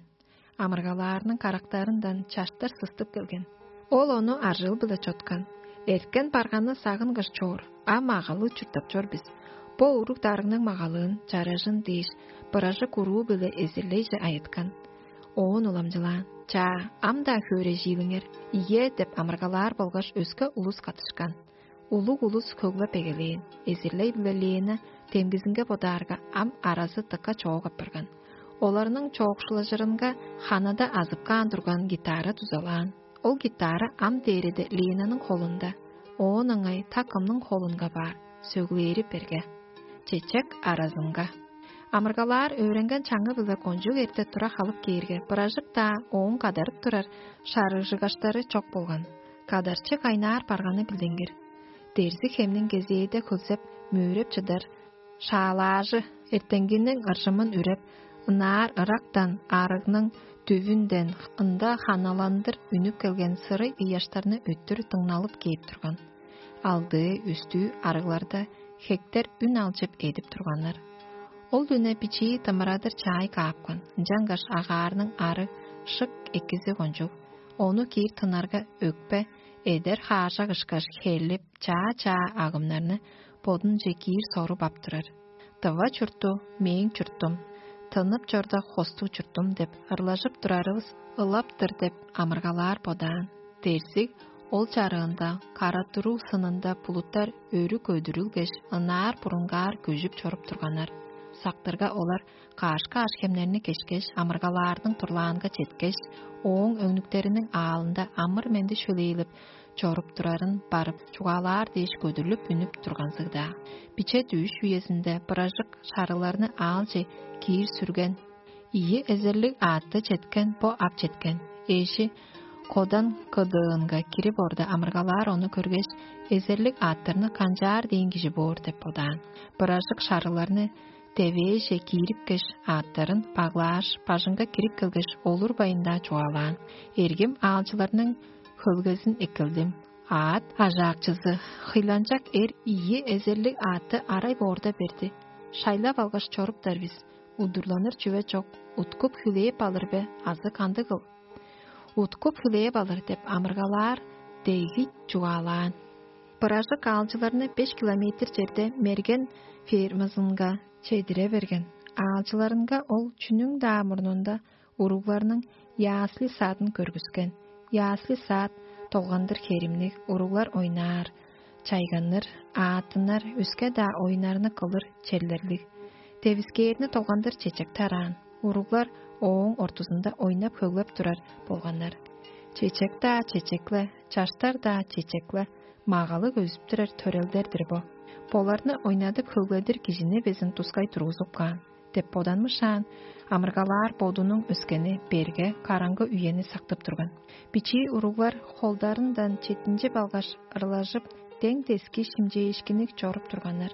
Амыргалаарның карактарындан чаштар сыстып келген. Ол ону аржыыл-биле чоткан: «Эрткен барганы сагынгаш чоор, а магалыг чурттап чор бис. Бо уруг-дарыгның магалыын, чаражын» — дээш, быражык уруу-биле эзирлейже айыткан. Оон уламчылаан: «Чаа, ам-даа хөөрежиилиңер, ийе» — деп амыргалаар болгаш, өске улус катышкан. Улуг улус хөглеп эгелээн. Эзирлей-биле Лена демгизинге бодаарга, ам аразы дыка чоок апарган. Оларның чоокшулажырынга ханада азып каан турган гитара дузалаан. Ол гитара ам дээреде Ленаның холунда, оон ыңай та кымның холунга баар, сөглээри берге. Чечек аразынга. Амыргалаар өөренген чаңы-биле кончуг эрте тура халып кээрге, быражык-даа ооң кадарып турар шарыжыгаштары чок болган. Кадарчы кайнаар барганы билдингир. Дерзиг хемниң кезээде хөлзеп, мөөреп чыдар шаалаажы эртеңгиниң ыржымын үреп, ынаар ырактан арыгның дүвүнден ында ханаландыр үнүп келген сырый ыяштарны өттүр дыңналып кээп турган. Алдыы, үстүү арыгларда хектер үн алчып эдип турганнар. Ол дүне бичии дымырадыр чаай каапкан, ынчангаш агаарның ары шык экизи кончуг. Ону киир тынарга өкпе, эдер хаажак ышкаш хээлип, чаа-чаа агымнарны бодунче киир соруп ап турар. «Тыва чурту — мээң чуртум, тынып чорда хостуг чуртум» — деп ырлажып турарывыс ылап-тыр деп амыргалаар бодаан. Дерзиг ол чарыында, кара-туруу сынында булуттар өрү көдүрүлгеш, ынаар бурунгаар көжүп чоруп турганнар. Сактырга олар каш-каш хемнерни кешкеш, амыргалаарның турлаанга четкеш, ооң өңнүктериниң аалында амыр-менди шөлээлеп чоруп турарын барып чугаалаар дээш көдүрлүп үнүп турганзыг-даа. Биче дүъш үезинде быражык шарыларны аалче киир сүрген. Ийи эзерлиг аътты четкен бо ап четкен. Эжи кодан кыдыынга кирип орда амыргалаар ону көргеш, эзерлиг аъттарны канчаар дээн кижи боор деп бодаан. Быражык шарыларны девээже киирипкеш, аъттарын баглааш, бажыңга кирип келгеш, олурбайн-даа чугаалаан: «Эргим аалчыларның хөлгезин эккелдим. Аът ажаакчызы хыйланчак эр ийи эзерлиг аътты арай боорда берди. Шайлап алгаш чоруптар бис. Удурланыр чүве чок, уткуп хүлээп алыр бе азы кандыгыл?» «Уткуп хүлээп алыр» — деп амыргалаар деги чугаалаан. Быражык аалчыларны беш километр черде мерген фермазынга чедире берген. Аалчыларынга ол чүнүң-даа мурнунда уругларның ясли садын көргүскен. Ясли сад долгандыр херимниг, уруглар ойнаар, чайганнар, ааттынар, өске-даа оюннарны кылыр черлерлиг. Девискээрни долгандыр чечек тараан. Уруглар ооң ортузунда ойнап-хөглеп турар болганнар. «Чечек-даа чечек-ле, чаштар-даа чечек-ле, магалыг өзүп турар төрелдер-дир бо. Боларны ойнадып-хөгледир кижини безин тускай тургузуп каан» — деп боданмышаан, амыргалаар бодунуң өскени берге караңгы үени сактып турган. Бичии уруглар холдарындан четинчип алгаш, ырлажып, дең-дески шимчээшкинниг чоруп турганнар.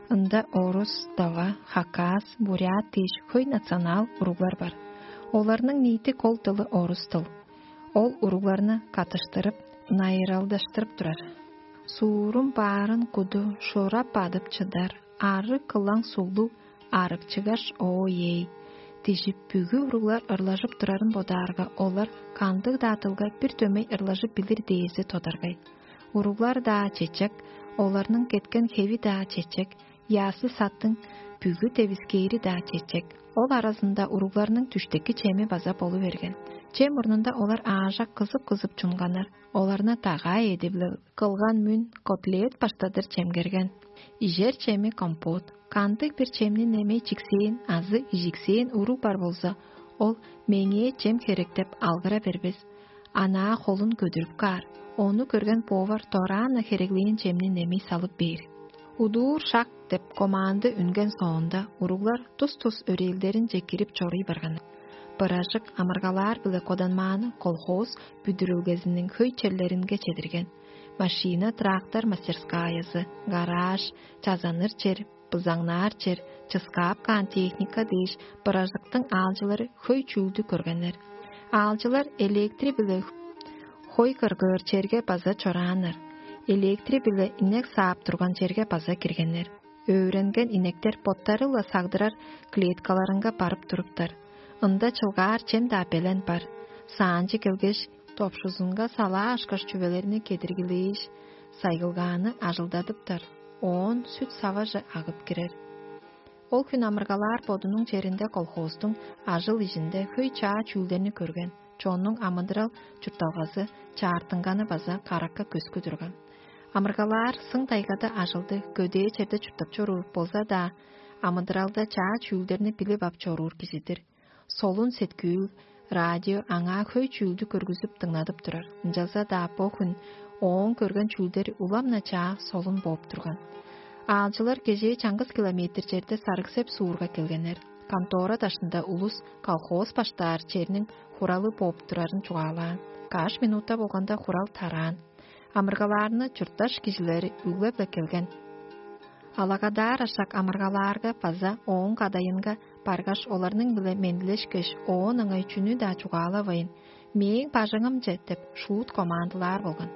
Ында орус, дава, хакас, бурят дээш хөй национал уруглар бар. Оларның ниити кол дылы орус дыл. Ол уругларны катыштырып, найыралдаштырып турар. Суурум баарын куду шурап бадып чыдар, арыг кылаң сулдуг арыкчыгаш, оо-ей! Дижип, бүгү уруглар ырлажып турарын бодаарга, олар кандыг-даа дылга бир дөмей ырлажып билир дээзи тодаргай. Уруглар-даа чечек, оларның кеткен хеви-даа чечек, ясы саттың бүгү девискээри-даа чечек. Ол аразында уругларның түштеки чеми база болу берген. Че мурнунда олар аажак кызып-кызып чунганнар, оларны дагаа эди-биле кылган мүн котлет баштадыр чемгерген. Ижер чеми компот, кандыг бир чемни немей чиксээн азы ижиксээн уруг бар болза, ол меңээ чем херек деп алгыра бербес. Анаа холун көдүрүп каар. Ону көрген повар дораан-на хереглээн чемни немей салып бээр. Удуур шак деп команды үнген соонда, уруглар тус-тус өрээлдеринче кирип чоруй барган. Быражык амыргалаар-биле коданмааны колхоз бүдүрүлгезиниң хөй черлеринге чедирген. Машина, трактор мастерскаязы, гараж, чазаныр чер, бызаңнаар чер, чыскаап каан техника дээш, быражыктың аалчылары хөй чүүлдү көргеннер. Аалчылар электри-биле хой кыргыыр черге база чорааннар. Электри-биле инек саап турган черге база киргеннер. Өөренген инектер боттары-ла сагдырар клеткаларынга барып туруптар. Ында чылгаар чем-даа белен бар. Саанчы келгеш, топшузунга салаашкаш чүвелерни кедиргилээш, сайгылгааны ажылдадыптар. Оон сүт саваже агып кирер. Ол хүн амыргалаар бодунуң черинде колхозтуң ажыл-ижинде хөй чаа чүүлдерни көрген. Чоннуң амыдырал чуртталгазы чаартынганы база каракка көскү турган. Амыргалаар сың-дайгада ажылды көдээ черде чурттап чоруур болза-даа, амыдыралда чаа чүүлдерни билип ап чоруур кижи-дир. Солун сеткүүл, радио аңаа хөй чүүлдү көргүзүп дыңнадып турар. Ынчалза-даа бо хүн ооң көрген чүүлдери улам-на чаа солун бооп турган. Аалчылар кежээ чаңгыс километр черде Сарыгсеп суурга келгеннер. Контора дашында улус колхоз баштаар черниң хуралы бооп турарын чугаалаан. Каш минута болганда хурал тараан. Амыргалаарны чуртташ кижилери үглеп-ле келген. Алагадаар ашак амыргалаарга база ооң кадайынга баргаш, оларның-биле мендилешкеш, оон ыңай чүнү-даа чугаалавайн: «Мээң бажыңымче» — деп шуут командылаар болган.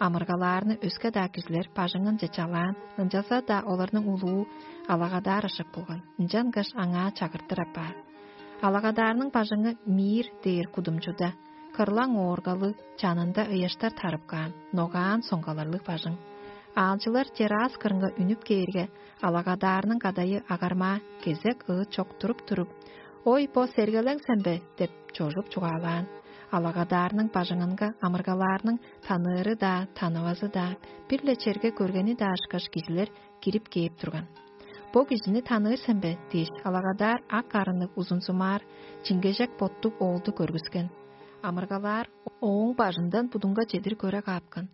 Амыргалаарны өске-даа кижилер бажыңынче чалаан, ынчалза-даа оларның улуу алагадаар ашак болган, ынчангаш аңаа чагыртыр апаар. Алагадаарның бажыңы Мир дээр кудумчуда, кырлаң ооргалыг, чанында ыяштар тарып каан, ногаан соңгаларлыг бажың. Аалчылар террас кырынга үнүп кээрге, алагадаарның кадайы агармаа кезек ыыт чок туруп-туруп: «Ой, бо сергелең сен бе?» — деп чожуп чугаалаан. Алагадаарның бажыңынга амыргалаарның таныыры-даа, танывазы-даа, бир-ле черге көргени-даа ышкаш кижилер кирип кээп турган. «Бо кижини таныыр сен бе?» — дээш, алагадаар ак арынныг узунзумаар, чиңгежек боттуг оолду көргүскен. Амыргалаар ооң бажындан будунга чедир көре каапкан.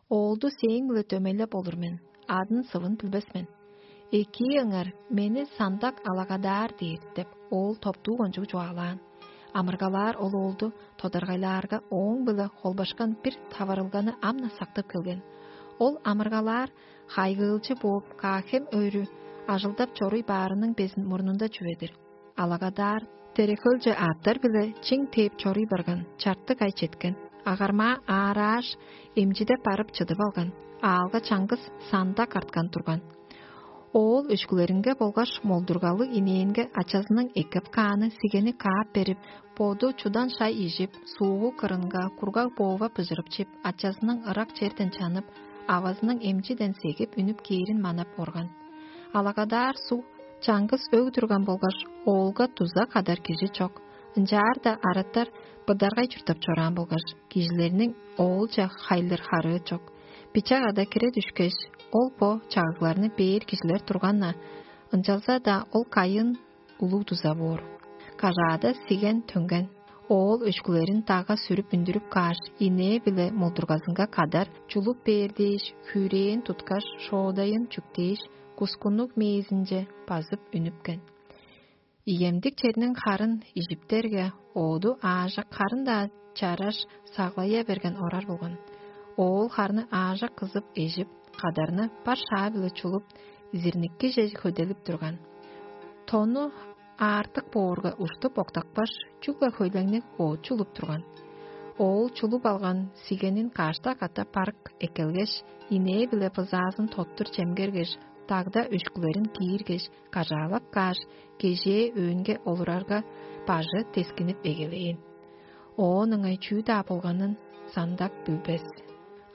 «Оолду сээң-биле дөмейлеп олур мен, адын-сывын билбес мен. Экии ыңар, мени Сандак Алагадаар дээр» — деп, оол топтуу кончуг чугаалаан. Амыргалаар ол оолду тодаргайлаарга, ооң-биле холбашкан бир таварылганы ам-на сактып келген. Ол амыргалаар хайгыылчы бооп, каа-хем өрү ажылдап чоруй баарының безин мурнунда чүве-дир. Алагадаар Терехөлче аъттар-биле чиң тээп чоруй барган, чартык ай четкен. Агармаа аарааш, эмчиде барып чыдып алган, аалга чаңгыс Сандак арткан турган. Оол өшкүлеринге болгаш молдургалыг инээнге ачазының эккеп кааны сигени каап берип, боду чудан шай ижип, суугу кырынга кургаг боова быжырып чип, ачазының ырак черден чанып, авазының эмчиден сегип үнүп кээрин манап орган. Алагадаар суг чаңгыс өг турган болгаш, оолга дуза кадар кижи чок. Ынчаар-даа араттар быдаргай чурттап чораан болгаш, кижилерниң оолче хайлыр харыы чок. Биче када кире дүшкеш, ол бо чагыгларны бээр кижилер турган-на, ынчалза-даа ол кайын улуг дуза боор. Кажаада сиген төнген. Оол өшкүлерин дагга сүрүп үндүрүп кааш, инээ-биле молдургазынга кадар чулуп бээр дээш, хүрэээн туткаш, шоодайын чүктээш, кускуннуг мээзинче базып үнүпкен. Ийемдик черниң харын ижиптерге, ооду аажак харын-даа чараш саглая берген орар болган. Оол харны аажак кызып эжип, кадарны бар шаа-биле чулуп, изирниккиже хөделип турган. Тону аартык боорга уштуп октапкаш, чүгле хөйлеңни оочулуп турган. Оол чулуп алган сигенин кашта катап барып эккелгеш, инээ-биле бызаазын тоттур чемгергеш, дагда өшкүлерин кииргеш, кажаалап кааш, кежээ өөнге олурарга, бажы тескинип эгелээн. Оон ыңай чүү-даа болганын сандак билбес.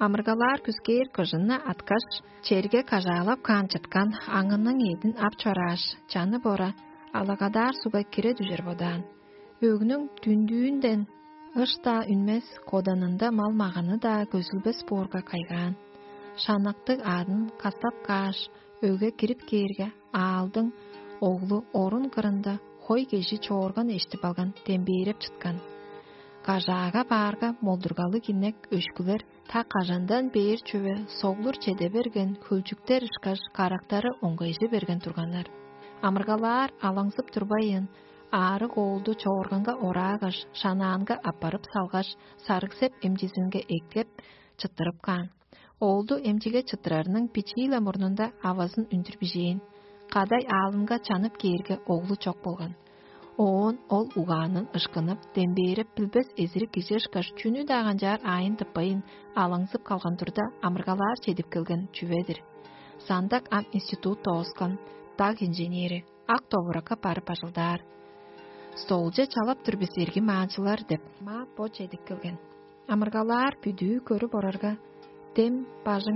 Амыргалаар күскээр кыжынны аткаш, черге кажаалап каан чыткан аңының эъдин ап чорааш, чаны бора алагадар сугга кире дүжер бодаан. Өгнүң дүндүүнден ыш-даа үнмес, коданында мал-маганы-даа көзүлбес боорга кайгаан. Шанактыг аъдын кастап кааш, өгге кирип кээрге, аалдың оглу орун кырында хой кежи чоорган эштип алган, дембээреп чыткан. Кажаага баарга, молдургалыг инек өшкүлер та кажандан бээр чүве соглур чеде берген хөлчүктер ышкаш карактары оңгайжы берген турганнар. Амыргалаар алаңзып турбайын, аарыг оолду чоорганга ораагаш, шанаанга аппарып салгаш, сарыгсеп эмчизинге эктеп, чыттырып каан. Оолду эмчиге чыттырарының бичии-ле мурнунда авазын үндүр бижээн. Кадай аалынга чанып кээрге, оглу чок болган. Оон ол угаанын ышкынып, дембээреп билбес эзирик кижи ышкаш чүнү-даа канчаар аайын тыппайн, алаңзып калган турда, амыргалаар чедип келген чүве-дир. Сандак ам институт дооскан, даг инженери, ак довуракка барып ажылдаар. Столче чалап тур бис, эрги маанчылар деп, ма бо чедип келген. Амыргалаар бүдүү көрүп орарга, дем бажыңын